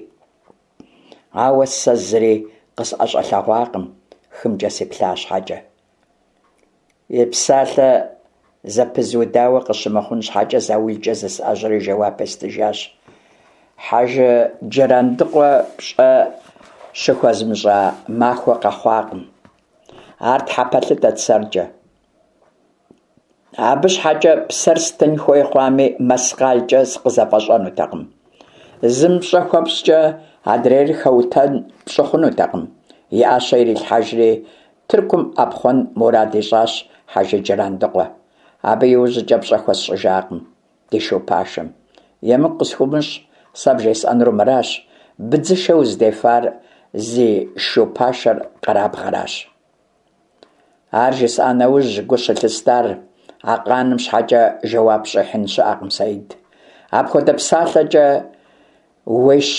Ауэ сэ зыри къысӏэщӏэлъэгъуакъым хымкӏэ сиплъа щхьэкӏэ. И псалъэ зэпызудауэ къыщымыхъун щхьэкӏэ заулкӏэ зысӏэжьэри жэуап естыжащ. Хьэжы Джырандыкъуэ пщӏэ щыхуэзмыщӏа махуэ къэхъуакъым. Ар тхьэпэлъытэт сэркӏэ. Абы щхьэкӏэ псэр стын хуей хъуами, мэскъалкӏэ сыкъызэфӏэщӏэнутэкъым. Зым пщӏэ хуэпщӏкӏэ адрейр хэутэн пщӏы хъунутэкъым. И ӏэщэ ирилъхьэжри, Тыркум ӏэпхъуэн мурад ищӏащ Хьэжы Джырандыкъуэ. Абы иужькӏэ пщӏэ хуэсщӏыжакъым ди шу пашэм. Емыкӏу къысхуумыщӏ, сэ бжесӏэнур мыращ, быдзышэ уздефар зи шу пашэр къэрабгъэращ. Ар жысӏа нэужь, гу щылъыстар а къаным щхьэкӏэ жэуап щӏихьын щыӏэкъым, Саид. Апхуэдэ псалъэкӏэ уещ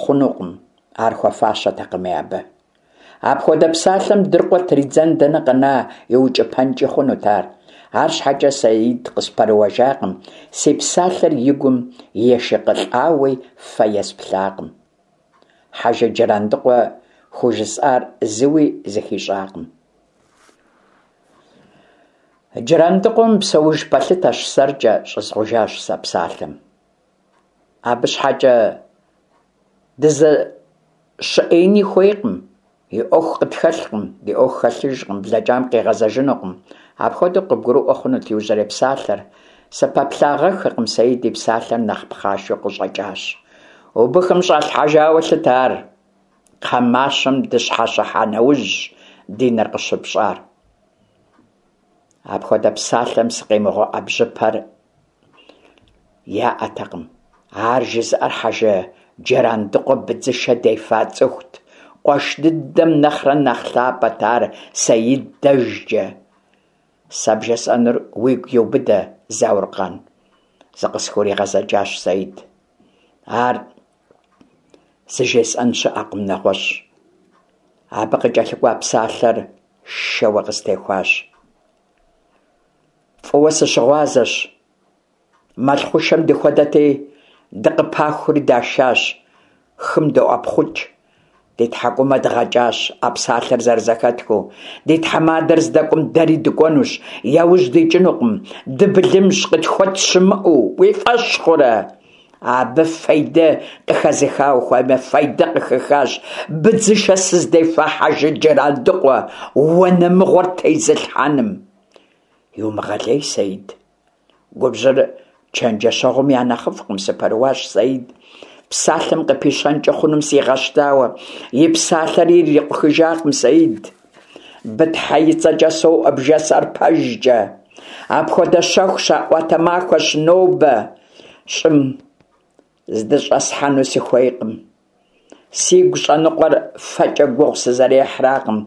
хъунукъым, ар хуэфащэтэкъыми абы. Апхуэдэ псалъэм дыркъуэ тридзэн дэнэ къэна, иукӏыпэнкӏи хъунут ар. Арщхьэкӏэ Саид къыспэрыуэжакъым, си псалъэр и гум ешыкъылӏауи фэ есплъакъым. Хьэжы Джырандыкъуэ хужысӏар зыуи зыхищӏакъым. Джырандыкъуэ мыпсэуж пэлъытэщ сэркӏэ, щӏызгъужащ сэ псалъэм. Абы щхьэкӏэ дызэщыӏеини хуейкъым, и ӏуэху къытхэлъкъым, ди ӏуэху хэлъыжкъым, блэкӏам къигъэзэжынукъым. Апхуэдэу къыбгурыӏуэ хъунут иужьрей псалъэр. Сыпэплъагъэххэкъым, Саид и псалъэр нэхъ пхъашэу къыщӏэкӏащ. Убыхым щӏалъхьэжауэ лъытэ ар. Кхъэ мащэм дыщхьэщыхьа нэужьщ ди нэр къыщыпщӏар. Апхуэдэ псалъэм сыкъимыгъэуӏэбжьыпэр яӏэтэкъым. Ар жызыӏэр Хьэжы Джырандыкъуэ быдзышэ дефа цӏыхут. Къуэш дыдэм нэхърэ нэхъ лъапӏэт ар Саид дэжкӏэ. Сэ бжесӏэнур уигу иубыдэ, Зауркъан, зыкъысхуригъэзэкӏащ Саид. Ар зыжесӏэн щыӏэкъым нэгъуэщӏ. Абы къыкӏэлъыкӏуа псалъэр шэуэ къыстехуащ. Фӏыуэ сыщыгъуазэщ. Мэл хъушэм дыхуэдэти, дыкъыпахури дашащ, хым доӏэпхъукӏ. Ди тхьэкӏумэ дгъэкӏащ а псалъэр зэрызэхэтхыу. Ди тхьэмадэр здэкӏуэм дэри дыкӏуэнущ, яужь дикӏынукъым, дыбылымщ, къытхуэт щымыӏэу, уи фӏэщ хъурэ? Абы фейдэ къыхэзыха ухуеймэ, фейдэ къыхыхащ быдзышэ сыздефа Хьэжы Джырандыкъуэ уанэ мыгъуэр тезылъхьэным. Иумыгъэлей, Саид. Губжьыр чэнджэщэгъум я нэхъыфӏкъым, сыпэрыуащ Саид. Псалъэм къыпищэнкӏэ хъунум сигъэщтауэ, и псалъэри ирикъухыжакъым Саид. Бытхьэ и цӏэкӏэ соӏуэ бжесӏэр пэжкӏэ. Апхуэдэ щэху щаӏуатэ махуэщ нобэ. Щӏым здыщӏэсхьэну сыхуейкъым. Сигу щӏэныкъуэр фэкӏэ гугъу сызэрехьракъым,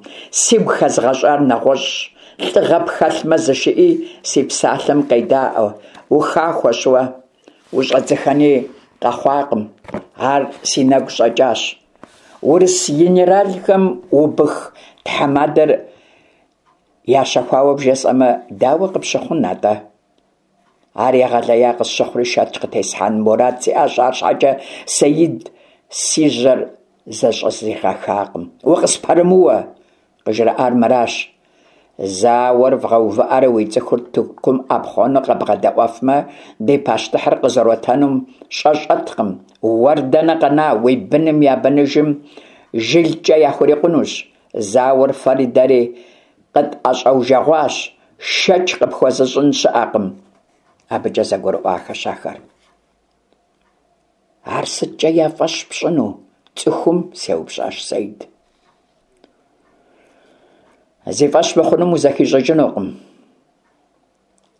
сигу хэзгъэщӏар нэгъуэщӏщ. Лӏыгъэ пхэлъмэ, зышыӏи, си псалъэм къедаӏуэ. Ухахуэщ уэ. Ущӏэдзыхэни къэхъуакъым. Ар си нэгу щӏэкӏащ. Урыс генералхэм убых тхьэмадэр ящэхуауэ бжесӏэмэ, дауэ къыпщыхъун атӏэ? Ар егъэлея къысщыхъури шэч къытесхьэн мурад сиӏащ, арщхьэкӏэ Саид си жьэр зэщӏызигъэхакъым. Укъыспэрымыуэ! Къыжраӏар мыращ. Зауэр вгъэувыӏэрэ уи цӏыхур Тыркум ӏэпхъуэну къэбгъэдэӏуэфмэ, ди пащтыхьыр къызэротэнум щӏэ щӏэткъым. Уэр дэнэ къэна, уи быным я быныжым жылкӏэ яхурикъунущ. Зауэр фэри дэри къытӏэщӏэужэгъуащ, шэч къыпхуэзыщӏын щыӏэкъым. Абыкӏэ зэгурыӏуахэщ ахэр. Ар сыткӏэ я фӏэщ пщӏыну цӏыхум? сеупщӏащ Саид. Зи фӏэщ мыхъунум узэхищӏыкӏынукъым.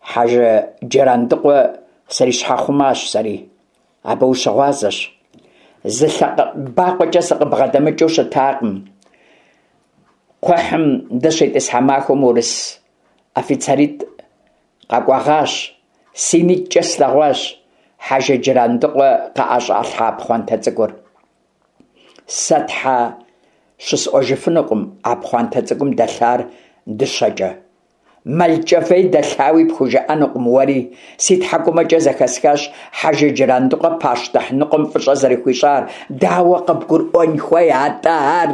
Хьэжы Джырандыкъуэ срищхьэхъумащ сэри. Абы ущыгъуазэщ. Зы лъэбакъуэкӏэ сыкъыбгъэдэмыкӏыу щытакъым. Кхъухьым дыщитӏысхьа махуэм урыс офицеритӏ къэкӏуэгъащ. Си нитӏкӏэ слъэгъуащ Хьэжы Джырандыкъуэ къыӏэщӏалъхьа пхъуантэ цӏыкӏур. Сэ тхьэ щысӏуэжыфынукъым а пхъуантэ цӏыкӏум дэлъар дыщэкӏэ. Мэлкӏэфей дэлъауи пхужыӏэнукъым уэри. Си тхьэкӏумэкӏэ зэхэсхащ Хьэжы Джырандыкъуэ пащтыхь ныкъуэм фӏыщӏэ зэрыхуищӏар. Дауэ къыбгурыӏуэн хуей атӏэ ар?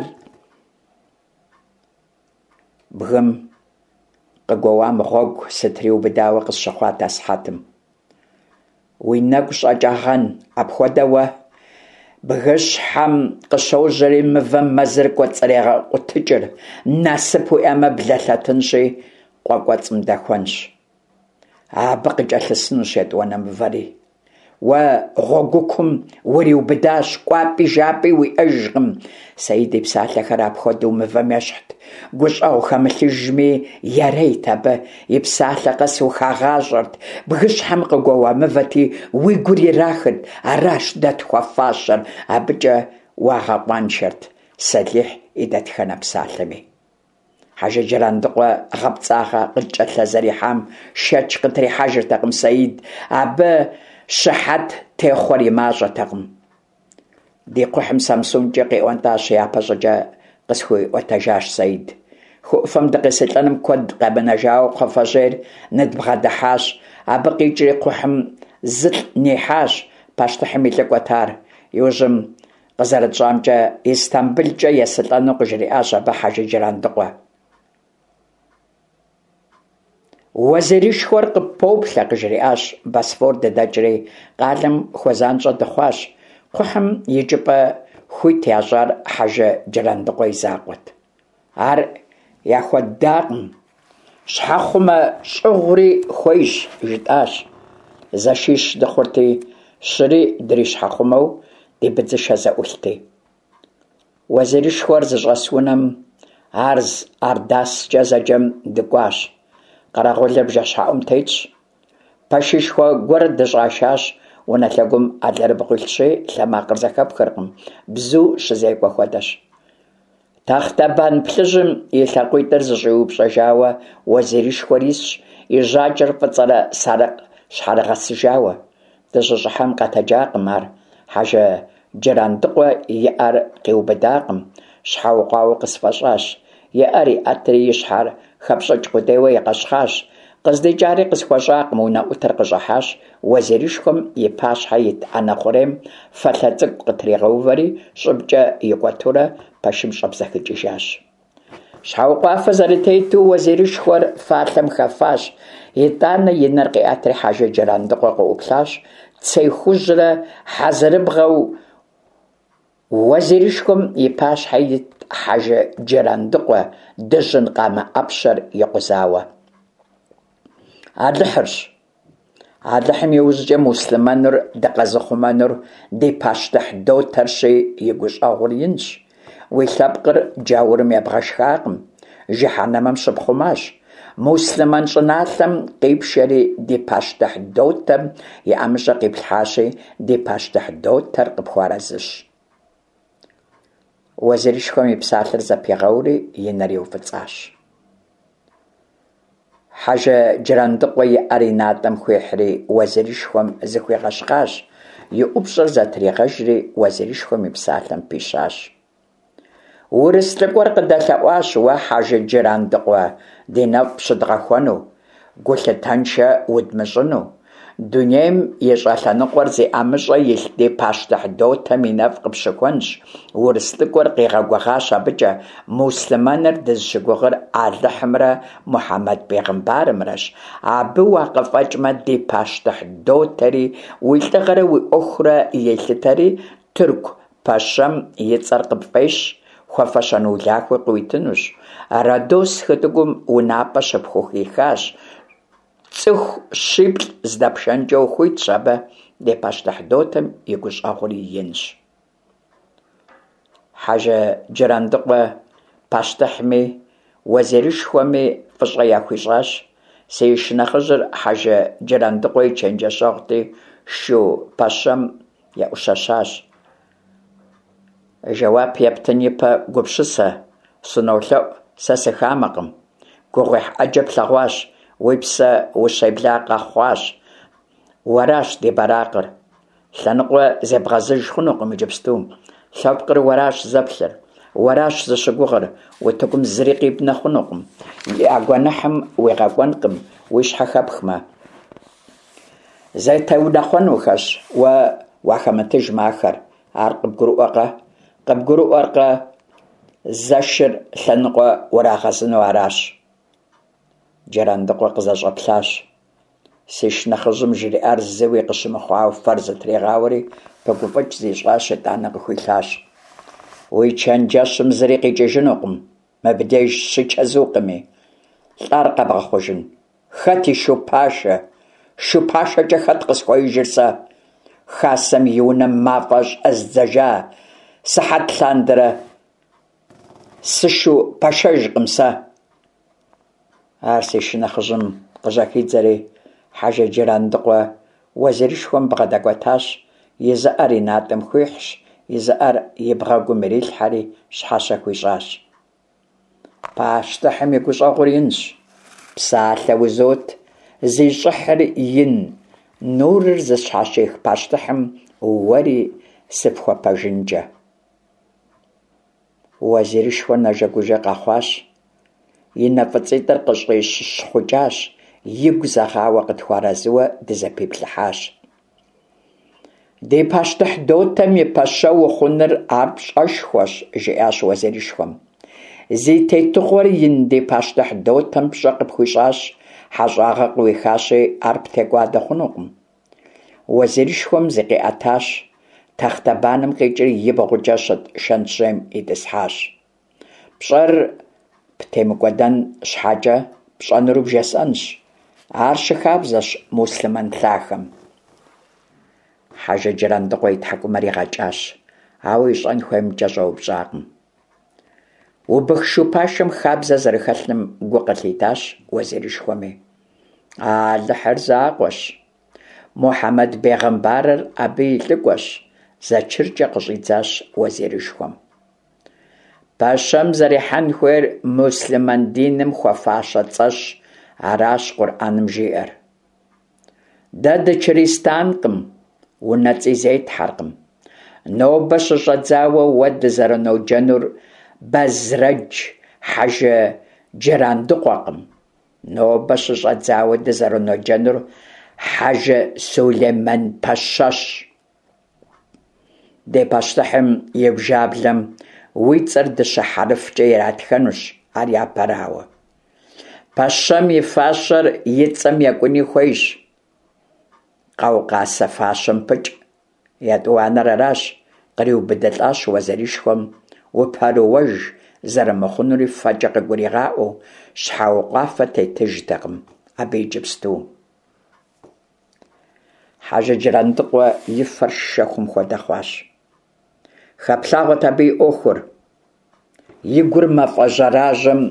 Бгым къыгуэуам гъуэгу сытриубыдауэ къысщыхъуат асыхьэтым. Уи нэгу щӏэкӏагъэн апхуэдэ уэ? Бгыщхьэм къыщожьэри мывэм мэзыр кӏуэцӏрегъэкъутыкӏыр, насып уиӏэмэ, блэлъэтынщи, къуэ кӏуэцӏым дэхуэнщ. Абы къыкӏэлъысынущ етӏуанэ мывэри. Уэ гъуэгукум уриубыдащ, кӏуапӏи жапӏи уиӏэжкъым. Саид и псалъэхэр апхуэдэу мывэм ещхьт. Гущӏэгъу хэмылъыжми ярейт абы, и псалъэ къэс ухагъащӏэрт, бгыщхьэм къыгуэуа мывэти, уи гур ирахырт, аращ дэ тхуэфащэр, абыкӏэ уагъэкъуаншэрт Сэлихь и дэтхэнэ псалъэми. Хьэжы Джырандыкъуэ гъэпцӏагъэ къыткӏэлъызэрихьам шэч къытрихьэжыртэкъым Саид, абы щыхьэт техъуэр и мащӏэтэкъым. Ди кхъухьым Самсункӏэ къиӏуэнтӏащ япэщӏыкӏэ, къысхуиӏуэтэжащ Саид. Хы ӏуфэм дыкъесылӏэным куэд къэмынэжауэ кхъуафэжьейр ныдбгъэдыхьащ. Абы къикӏри кхъухьым зылӏ нихьащ, пащтыхьым и лӏыкӏуэт ар. Иужьым къызэрытщӏамкӏэ, Истамбылкӏэ есылӏэну къыжриӏащ абы Хьэжы Джырандыкъуэ. Уэзирышхуэр къыппоплъэ, къыжриӏащ. Босфор дыдэкӏри, къалэм хуэзанщӏэ дыхъуащ. Кхъухьым икӏыпӏэ хуит ящӏар Хьэжы Джырандыкъуэ и закъуэт. Ар яхуэддакъым. Щхьэхъумэ щӏыгъури хуейщ, жытӏащ. Зэшищ дыхъурти, щыри дрищхьэхъумэу ди быдзышэ зэӏулъти. Уэзирышхуэр зыщӏэс унэм Арз Ардаскӏэ зэджэм дыкӏуащ. Къэрэгъулыр бжэщхьэӏум тетщ. Пэшышхуэ гуэр дыщӏашащ, унэ лъэгум алэрыбгъу илъщи, лъэ макъыр зэхэпхыркъым, бзу щызекӏуэ хуэдэщ. Тахътэбан плъыжьым и лъакъуитӏыр зэщӏиупщӏэжауэ уэзирышхуэр исщ, и жьакӏэр фӏыцӏэрэ сарыкъ щхьэрыгъэсыжауэ. Дыщыщӏыхьэм къэтэджакъым ар, Хьэжы Джырандыкъуэ и ӏэр къиубыдакъым, щхьэукъуауэ къысфӏэщӏащ. И ӏэр иӏэтри и щхьэр хэпщӏыкӏ къудейуэ игъэщхъащ. Къыздикӏари къысхуэщӏакъым, унэӏутыр къыщӏыхьащ, уэзирышхуэм и пащхьэ ит ӏэнэ хъурейм фалъэ цӏыкӏу къытригъэувэри, щӏыбкӏэ икӏуэтурэ пэшым щӏэбзэхыкӏыжащ. Щхьэукъуафэ зэрытету уэзирышхуэр фалъэм хэфащ, итӏанэ и нэр къиӏэтри Хьэжы Джырандыкъуэ къыӏуплъащ, цей хужьрэ хьэзырыбгъэу уэзирышхуэм и пащхьэ итт Хьэжы Джырандыкъуэ дыжьын къамэ ӏэпщэр икъузауэ. Алыхьырщ. Алыхьым иужькӏэ муслъымэнур дыкъэзыхъумэнур ди пащтыхь дотэрщи, и гущӏэгъур инщ. Уи лъэпкъыр джаурым ебгъэшхакъым, жыхьэнэмэм щыпхъумащ. Муслъымэн щӏыналъэм къипшэри ди пащтыхь дотэм и ӏэмыщӏэ къиплъхьащи, ди пащтыхь дотэр къыпхуэарэзыщ. Уэзирышхуэм и псалъэр зэпигъэури и нэр иуфӏыцӏащ. Хьэжы Джырандыкъуэ и ӏэр и натӏэм хуихьри уэзирышхуэм зыхуигъэщхъащ, и ӏупщӏэр зэтригъэжри уэзирышхуэм и псалъэм пищащ. Урыс лӏыкӏуэр къыдэлъэӏуащ уэ, Хьэжы Джырандыкъуэ, ди нэфӏ пщыдгъэхуэну, гулъытэншэ удмыщӏыну. Дунейм и щӏэлъэныкъуэр зи ӏэмыщӏэ илъ ди пащтыхь дотэм и нэфӏ къыпщыхуэнщ, урыс лӏыкӏуэр къигъэгугъащ абыкӏэ, муслъымэныр дызыщыгугъыр Алыхьымрэ Мухьэмэд бегъымбарымрэщ, абы уакъыфӏэкӏмэ, ди пащтыхь дотэри уи лӏыгъэрэ уи ӏуэхурэ елъытэри, тырку пэщэм и цӏэр къыпфӏещ, хуэфэщэн улахуи къыуитынущ. Родос хытӏыгум унапӏэ щыпхухихащ. Цӏыху щиплӏ здэпшэнкӏэ ухуитщ абы, ди пащтыхь дотэм и гущӏэгъури инщ. Хьэжы Джырандыкъуэ пащтыхьми уэзирышхуэми фӏыщӏэ яхуищӏащ. Си шынэхъыжьыр Хьэжы Джырандыкъуэ и чэнджэщэгъути, шу пэщэм еӏущэщащ. Жэуап ептын ипэ гупсысэ, сынолъэӏу, сэ сыхамэкъым. Гугъуехь ӏэджэ плъэгъуащ, уи псэ ущебла къэхъуащ. Уэращ ди бэракъыр. Лъэныкъуэ зебгъэзыж хъунукъым иджыпсту. Лъэпкъыр уэращ зэплъыр, уэращ зыщыгугъыр, утыкум зыри къибнэ хъунукъым. Я гуэныхьым уигъэкӏуэнкъым уи щхьэ хэпхмэ. Зэтеунэхъуэнухэщ, уэ уахэмытыжмэ ахэр. Ар къыбгурыӏуэкъэ? Къыбгурыӏуэркъэ? Зэшыр лъэныкъуэ урагъэзыну аращ. Джырандыкъуэ къызэщӏэплъащ. Си шынэхъыжьым жриӏар зыуи къыщымыхъуауэ фэр зытригъауэри, пыгуфӏыкӏ зищӏащ, итӏанэ къыхуилъащ. Уи чэнджэщым зыри къикӏыжынукъым, мыбдеж щичэзукъыми. Лӏар къэбгъэхъужын? Хэт и шу пашэ? Шу пашэкӏэ хэт къысхуеижыр сэ? Хасэм и унэм мафӏэ щӏэздзэжа сыхьэт лъандэрэ сышу пашэжкъым сэ. Ар си шынэхъыжьым къыжьэхидзэри, Хьэжы Джырандыкъуэ уэзирышхуэм бгъэдэкӏуэтащ, и зы ӏэр и натӏэм хуихьщ, и зы ӏэр и бгъэгум ирилъхьэри щхьэщэ хуищӏащ. Пащтыхьым и гущӏэгъур инщ. Псалъэ узот, зи щӏыхьыр ин, нурыр зыщхьэщих пащтыхьым уэри сыпхуэпэжынкӏэ. Уэзирышхуэр нэжэгужэ къэхъуащ, и нэ фӏыцӏитӏыр къыщӏищхъукӏащ, игу зэгъауэ къытхуэарэзыуэ дызэпиплъыхьащ. Ди пащтыхь дотэм и пэщэ ухъуныр ар пщӏэшхуэщ, жиӏащ уэзирышхуэм. Зи тетыгъуэр ин ди пащтыхь дотэм пщӏэ къыпхуищӏащ, хьэщӏагъэ къыуихащи, ар птекӏуадэ хъунукъым. Уэзирышхуэм зыкъиӏэтащ, тахътэбаным къикӏри ибгъукӏэ щыт шэнтжьейм итӏысхьащ. Пщӏэр птемыкӏуэдэн щхьэкӏэ пщӏэнур бжесӏэнщ. Ар щыхабзэщ муслъымэн лъахэм. Хьэжы Джырандыкъуэ и тхьэкӏумэр игъэкӏащ, ауэ ищӏэн хуеймкӏэ щӏэупщӏакъым. Убых шу пашэм хабзэ зэрыхэлъым гу къылъитащ уэзирышхуэми. Алыхьыр закъуэщ. Мухьэмэд бегъымбарыр абы и лӏыкӏуэщ, зэчыркӏэ къыщӏидзащ уэзирышхуэм. Пэщэм зэрихьэн хуейр муслъымэн диным хуэфащэ цӏэщ, аращ Къурӏэным жиӏэр. Дэ дычыристанкъым, унэцӏи зетхьэркъым. Нобэ щыщӏэдзауэ уэ дызэрыноджэнур Бэзрэдж Хьэжы Джырандыкъуэкъым. Нобэ щыщӏэдзауэ дызэрыноджэнур Хьэжы Сулеймэн Пэщэщ. Ди пащтыхьым и бжаблэм уи цӏэр дыщэ хьэрыфкӏэ иратхэнущ, ар япэрауэ. Пэщэм и фащэр и цӏэм екӏуни хуейщ. Къаукъасэ фащэм пыкӏ. Етӏуанэр аращ, къриубыдылӏащ уэзирышхуэм, упэрыуэж зэрымыхъунури фэкӏэ къыгуригъаӏуэу, щхьэукъуафэ тетыжтэкъым абы иджыпсту. Хьэжы Джырандыкъуэ и фэр шэхум хуэдэ хъуащ. Хэплъагъуэт абы и ӏуэхур. И гур мафӏэ жьэражьэм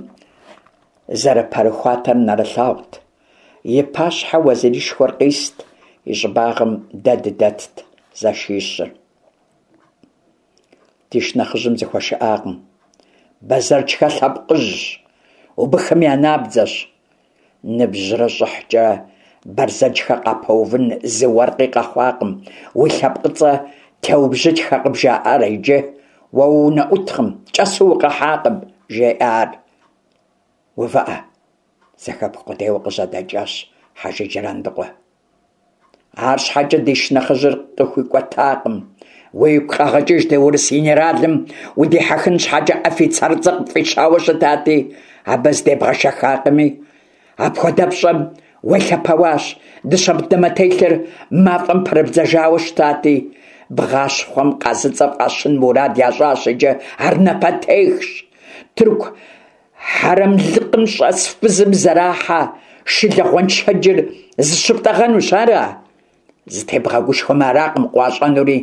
зэрыпэрыхуатэр нэрылъагъут. И пащхьэ уэзирышхуэр къист, и щӏыбагъым дэ дыдэтт зэшищыр. Ди шынэхъыжьым зыхуэшыӏакъым. Бэзэрчхэ лъэпкъыжьщ, убыхым я набдзэщ. Ныбжьрэ щӏыхькӏэ Бэрзэджхэ къапэувын зы уэркъи къэхъуакъым. Уи лъэпкъыцӏэ Теубжьытхэ къыбжаӏэрэ иджы, уэ уунэӏуткъым, кӏэсу укъэхьакъым, жеӏэ ар. Увыӏэ, зэхэпх къудейуэ къыжьэдэкӏащ Хьэжы Джырандыкъуэ. Арщхьэкӏэ ди шынэхъыжьыр къыхуикӏуэтакъым. Уигу къэгъэкӏыж ди урыс генералым удихьэхын щхьэкӏэ офицерыцӏэ къыпфӏищауэ щытати, абы зыдебгъэшэхакъыми. Апхуэдэпщӏэм уелъэпэуащ, дыщэ дамэтелъыр мафӏэм пэрыбдзэжауэ щытати. Бгъащхъуэм къазыцӏэ фӏащын мурад ящӏащ иджы, ар напэтехщ. Тырку хьэрэмлыкъым щӏэс фызым зэрахьэ шылэ гъуэншэджыр зыщыптӏэгъэнущ, ара? Зытебгъэгушхуэмэ, аракъым къуащӏэнури.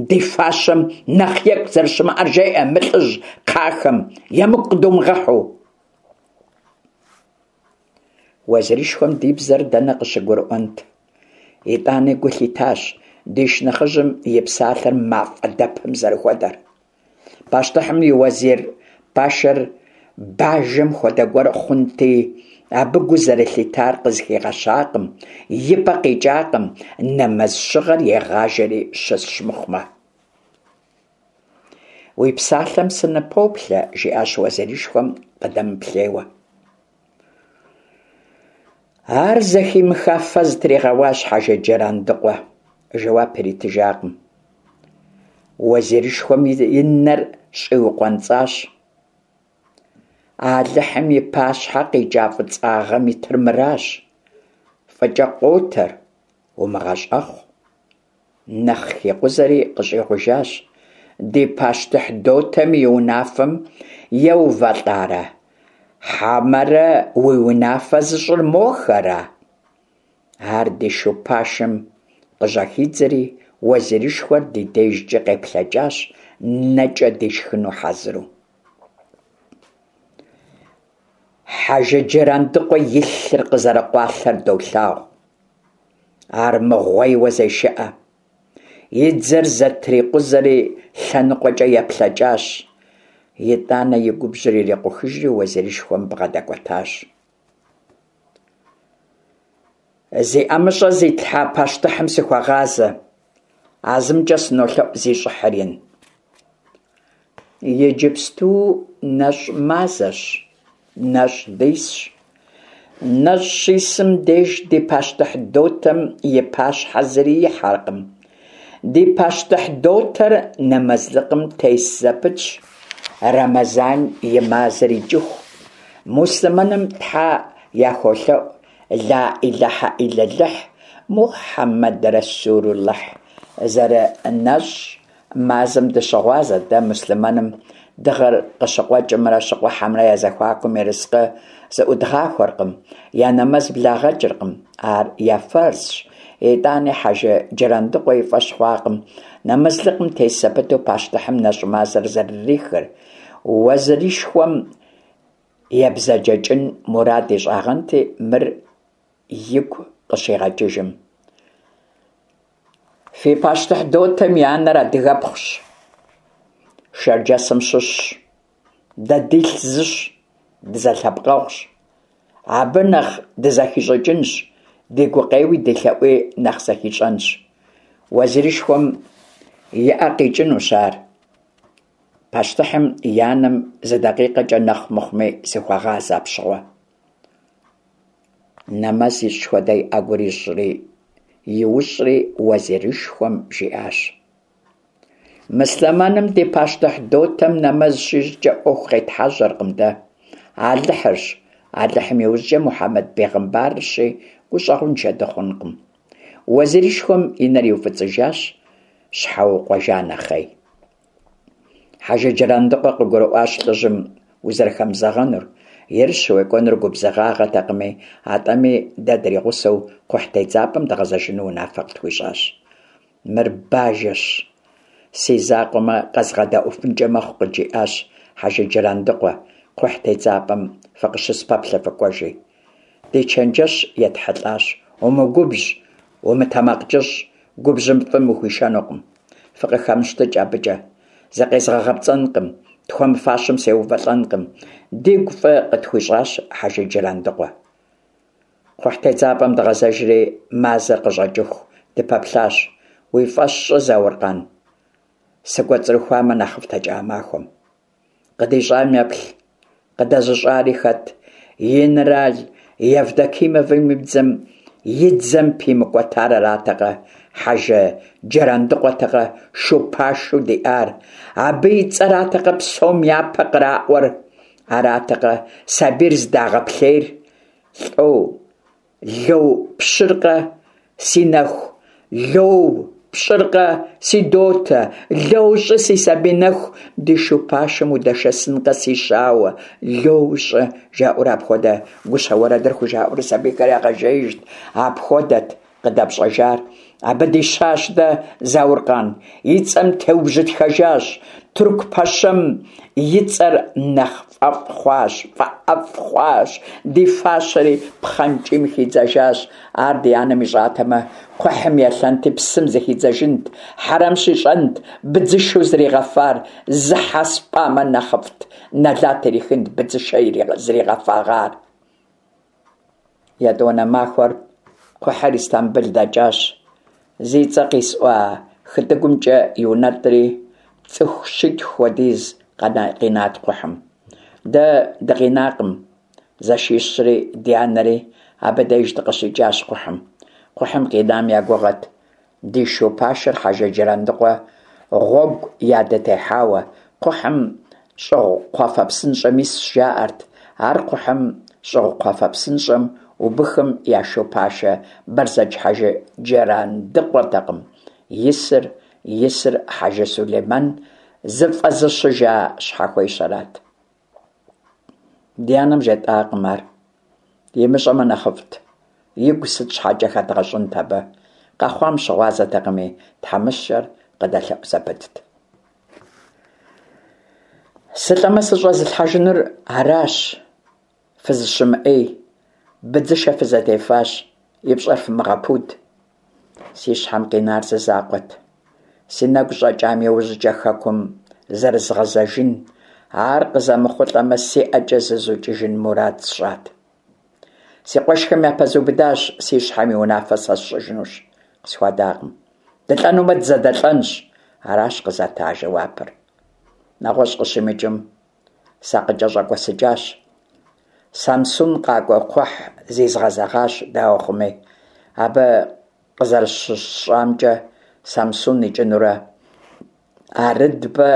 Ди фащэм нэхъ екӏу зэрыщымыӏэр жеӏэ мы лӏыжь кхъахэм, емыкӏу къыдумыгъэхьу. Уэзирышхуэм ди бзэр дэнэ къыщыгурыӏуэнт? Итӏани гу лъитащ ди шынэхъыжьым и псалъэр мафӏэ дэпым зэрыхуэдэр. Пащтыхьым и уэзир пашэр бажэм хуэдэ гуэр хъунти, абы гу зэрылъитар къызыхигъэщакъым, и пӏэ къикӏакъым, нэмэз щыгъэр егъажэри щысщ мыхъумэ. Уи псалъэм сыныпоплъэ, жиӏащ уэзирышхуэм къыдэмыплъейуэ. Ар зэхимыха фэ зытригъэуащ Хьэжы Джырандыкъуэ, жэуап иритыжакъым. Уэзирышхуэм и нэр щӏиукъуэнцӏащ. Алыхьым и пащхьэ къикӏа фӏыцӏагъэм итыр мыращ: фӏыкӏэ къотэр, умыгъэщӏэхъу. Нэхъ хикъузэри къыщӏигъужащ: Ди пащтыхь дотэм и унафэм еувэлӏарэ, хьэмэрэ уи унафэ зыщӏыр мохэра? Ар ди шу пашэм къыжьэхидзэри, уэзирышхуэр ди дежкӏэ къеплъэкӏащ, нэкӏэ дишхыну хьэзыру. Хьэжы Джырандыкъуэ и лъыр къызэрыкъуалъэр долъагъу. Ар мыгъуейуэ зешыӏэ. И дзэр зэтрикъузэри лъэныкъуэкӏэ еплъэкӏащ. Итӏанэ и губжьыр ирикъухыжри уэзирышхуэм бгъэдэкӏуэтащ. Зи ӏэмыщӏэ зитлъхьа пащтыхьым сыхуэгъазэ. А зымкӏэ сынолъэӏу зи щӏыхьыр ин. Иджыпсту нэщӏ мазэщ, нэщӏ дисщ. Нэщӏ щисым деж ди пащтыхь дотэм и пащхьэ зыри ихьэркъым. Ди пащтыхь дотэр нэмэзлыкъым тес зэпытщ, Рэмэзан и мазэр икӏыху. Муслъымэным тхьэ яхуолъэӏу Ла ӏилэхьэ ӏиллэлыхь, Мухьэммэд Рэсулуллыхь. Зэрынэщӏ мазэм дыщыгъуазэт дэ муслъымэным дыгъэр къыщыкъуэкӏымрэ щыкъухьэмрэ я зэхуакум ерыскъы зыӏудгъахуэркъым, я нэмэз благъэкӏыркъым, ар я фэрзщ. Итӏани Хьэжы Джырандыкъуэ и фӏэщ хъуакъым нэмэзлыкъым тес зэпыту пащтыхьым нэщӏ мазэр зэрырихыр. Уэзирышхуэм ебзэджэкӏын мурад ищӏагъэнти, мыр игу къыщигъэкӏыжым. Фи пащтыхь дотэм и анэр адыгэпхъущ, Шэрджэсым щыщщ. Дэ дилъ зыщ, дызэлъэпкъэгъущ. Абы нэхъ дызэхищӏыкӏынщ, ди гукъеуи ди лъэӏуи нэхъ зэхищӏэнщ. Уэзирышхуэм и ӏэ къикӏынущ ар. Пащтыхьым и анэм зы дакъикъэкӏэ нэхъ мыхъуми сыхуэгъазэ апщыгъуэ. Нэмэз ищӏ хуэдэ и ӏэгур ищӏри, иущӏри уэзирышхуэм жиӏащ. Мыслъымэным ди пащтыхь дотэм нэмэз щищӏкӏэ ӏуэху къетхьэжьэркъым дэ. Алыхьырщ, Алыхьым иужькӏэ Мухьэмэд бегъымбарырщи, гущӏэгъуншэ дыхъункъым. Уэзирышхуэм и нэр иуфӏыцӏыжащ, щхьэукъуэжа нэхъей. Хьэжы Джырандыкъуэ къыгурыӏуащ лӏыжьым узэрыхэмызэгъэнур, ерыщ уекӏуэнур губзыгъагъэтэкъыми, атӏэми дэ дригъусэу кхъухь тедзапӏэм дгъэзэжыну унафэ къытхуищӏащ. Мыр бажэщ, си закъуэмэ къэзгъэдэӏуфынкӏэ мэхъу, къыджиӏащ Хьэжы Джырандыкъуэ, кхъухь тедзапӏэм фыкъыщыспэплъэ фыкӏуэжи. Ди чэнджэщ етхьэлӏащ, умыгубжь, умытэмакъкӏыщӏ, губжьым фӏым ухуишэнукъым. Фыкъыхэмыщтыкӏ абыкӏэ. Зыкъезгъэгъэпцӏэнкъым, тхуэмыфащэм сеувэлӏэнкъым. Дигу фӏы къытхуищӏащ Хьэжы Джырандыкъуэ. Кхъухь тедзапӏэм дгъэзэжри, мазэр къыщӏэкӏыху дыпэплъащ. Уи фӏэщ щӏы, Зауркъан, сыкӏуэцӏрыхуамэ нэхъыфӏтэкӏэ а махуэм. Къыдищӏам еплъ, къыдэзыщӏари хэт? Генерал Евдокимовым и дзэм. и дзэм пимыкӏуэтар аратэкъэ, Хьэжы Джэрандыкъуэтэкъэ шу пашэу диӏар, абы и цӏэратэкъэ псом япэ къраӏуэр, аратэкъэ сабийр зыдагъэплъейр? Лӏо, ло пщӏыркъэ, си нэху, ло пщӏыркъэ, си дотэ, ло щӏы, си сабий нэху, ди шу пашэм удэшэсынкъэ, си щауэ, ло щӏы, жаӏэурэ апхуэдэ гущэ уэрэдыр хужаӏэурэ сабийхэр ягъэжеижт. Апхуэдэт къыдэпщӏэжар. Абы дищащ дэ Зауркъан, и цӏэм теубжьытхэжащ, тырку пэщэм и цӏэр нэхъ фӏэфӏ хъуащ, фӏэӏэфӏ хъуащ, ди фащэри пхъэнкӏийм хидзэжащ. Ар ди анэм ищӏатэмэ, кхъухьым елъэнти псым зыхидзэжынт, хьэрэм щищӏэнт, быдзышэу зригъэфар, зы хьэ спӏамэ нэхъыфӏт, нэлат ирихынт быдзышэ зригъэфагъар. Етӏуанэ махуэр кхъухьыр Истамбыл дэкӏащ. Зи цӏэ къисӏуа хытӏыгумкӏэ иунэтӏри, цӏыху щитху хуэдиз къинат кхъухьым. Дэ дыкъинакъым, зэшищри ди анэри абы деж дыкъыщикӏащ кхъухьым. Кхъухьым къинам я гугъэт ди шу пашэр Хьэжы Джэрандыкъуэ гъуэгу ядытехьауэ, кхъухьым щӏыгъу кхъуафэ псынщӏэм исщ, жаӏэрт. Ар кхъухьым щӏыгъу кхъуафэ псынщӏэм убыхым я шу пашэ Бэрзэдж Хьэжы Джэрандыкъуэртэкъым исыр, исыр Хьэжы Сулеймэн зыфӏэзыщыжа щхьэхуещэрат. Ди анэм жетӏакъым ар. Имыщӏэмэ нэхъыфӏт. Игу сыт щхьэкӏэ хэдгъэщӏынт абы? Къэхъуам щыгъуазэтэкъыми, тхьэмыщкӏэр къыдэлъэӏу зэпытт. Сылӏэмэ сыщӏэзылъхьэжынур аращ, фызыщымыӏей, быдзышэ фызэдефащ, и пщӏэр фымыгъэпуд. Си щхьэм къинар зы закъуэт. Си нэгу щӏэкӏам иужькӏэ хэкум зэрызгъэзэжын, ар къызэмыхъулӏэмэ, си ӏэкӏэ зызукӏыжын мурад сщӏат. Си къуэшхэм япэзубыдащ, си щхьэм и унафэ сэ сщӏыжынущ, къысхуадакъым. Дылӏэнумэ, дызэдэлӏэнщ, аращ къызата жэуапыр. Нэгъуэщӏ къыщимыкӏым, сакъыкӏэщӏэкӏуэсыкӏащ. Самсун къакӏуэ кхъухь зизгъэзэгъащ, дауэ хъуми. Абы къызэрыщысщӏамкӏэ, Самсун икӏынурэ Арыдбэ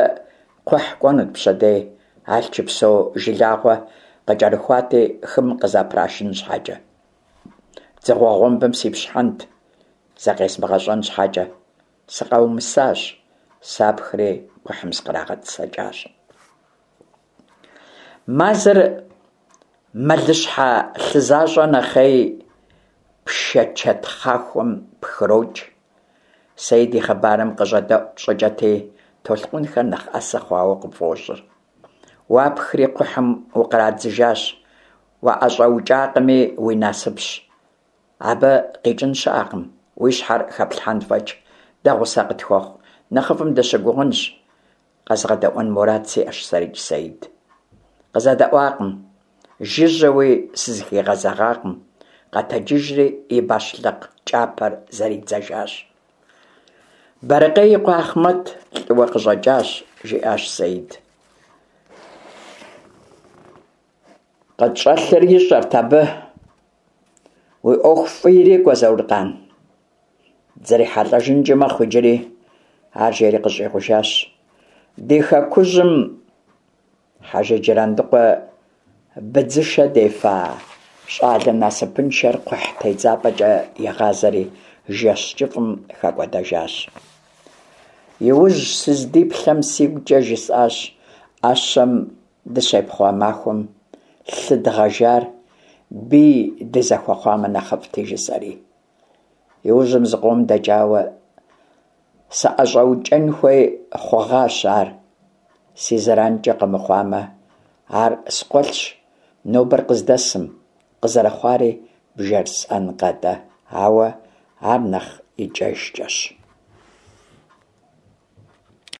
кхъухь кӏуэнут пщэдей, Алъчыпсо жылагъуэ къыкӏэрыхуати, хым къызэпрашын щхьэкӏэ. Дзыгъуэ гъуэмбым сипщхьэнт, закъезмыгъэщӏэн щхьэкӏэ. Сыкъаумысащ, сапхри кхъухьым сыкърагъэтӏысэкӏащ. Мазэр мэлыщхьэ лъы защӏэ нэхъей пшэ чэтхъахуэм пхрокӏ. Сэид и хъыбарым къыщӏэдэӏу щӏыкӏэти, толъкъунхэр нэхъ ӏэсэ хъуауэ къыпфӏощӏыр. Уапхри кхъухьым укърадзыжащ, уаӏэщӏэукӏакъыми уи насыпщ. Абы къикӏын щыӏэкъым, уи щхьэр хэплъхьэн фӏэкӏ, дэ гъусэ къытхуэхъу, нэхъыфӏым дыщыгугъынщ, къэзгъэдэӏуэн мурад сиӏэщ сэрикӏ Сэид. Къызэдэӏуакъым, жыжьэуи сызыхигъэзэгъакъым, къэтэджыжри и бащлъыкъ кӏапэр зэридзэжащ. Бэрыкъей и къуэ Ахъмэт лӏыуэ къыщӏэкӏащ, жиӏащ Сэид. Къытщӏэлъыр ищӏэрт абы. Уи ӏуэху фӏы ирикӏуэ, Зауркъан. Дызэрихьэлӏэжынкӏи мэхъу иджыри, ар жери къыщӏигъужащ. Ди хэкужьым Хьэжы Джырандыкъуэ быдзышэ дефа щӏалэ насыпыншэр кхъухь тедзапӏэкӏэ игъазэри жэщ кӏыфӏым хэкӏуэдэжащ. Иужь сыздиплъэм сигукӏэ жысӏащ ӏэщэм дыщепхъуа махуэм лъы дгъэжар бий дызэхуэхъуамэ нэхъыфӏти, жысӏэри. Иужьым зыкъом дэкӏауэ сыӏэщӏэукӏэн хуей хъугъащ ар. Си зэранкӏэ къэмыхъуамэ, ар скъуэлъщ нобэр къыздэсым, къызэрыхъуари бжесӏэнкъэ-тӏэ, ауэ ар нэхъ икӏэжкӏэщ.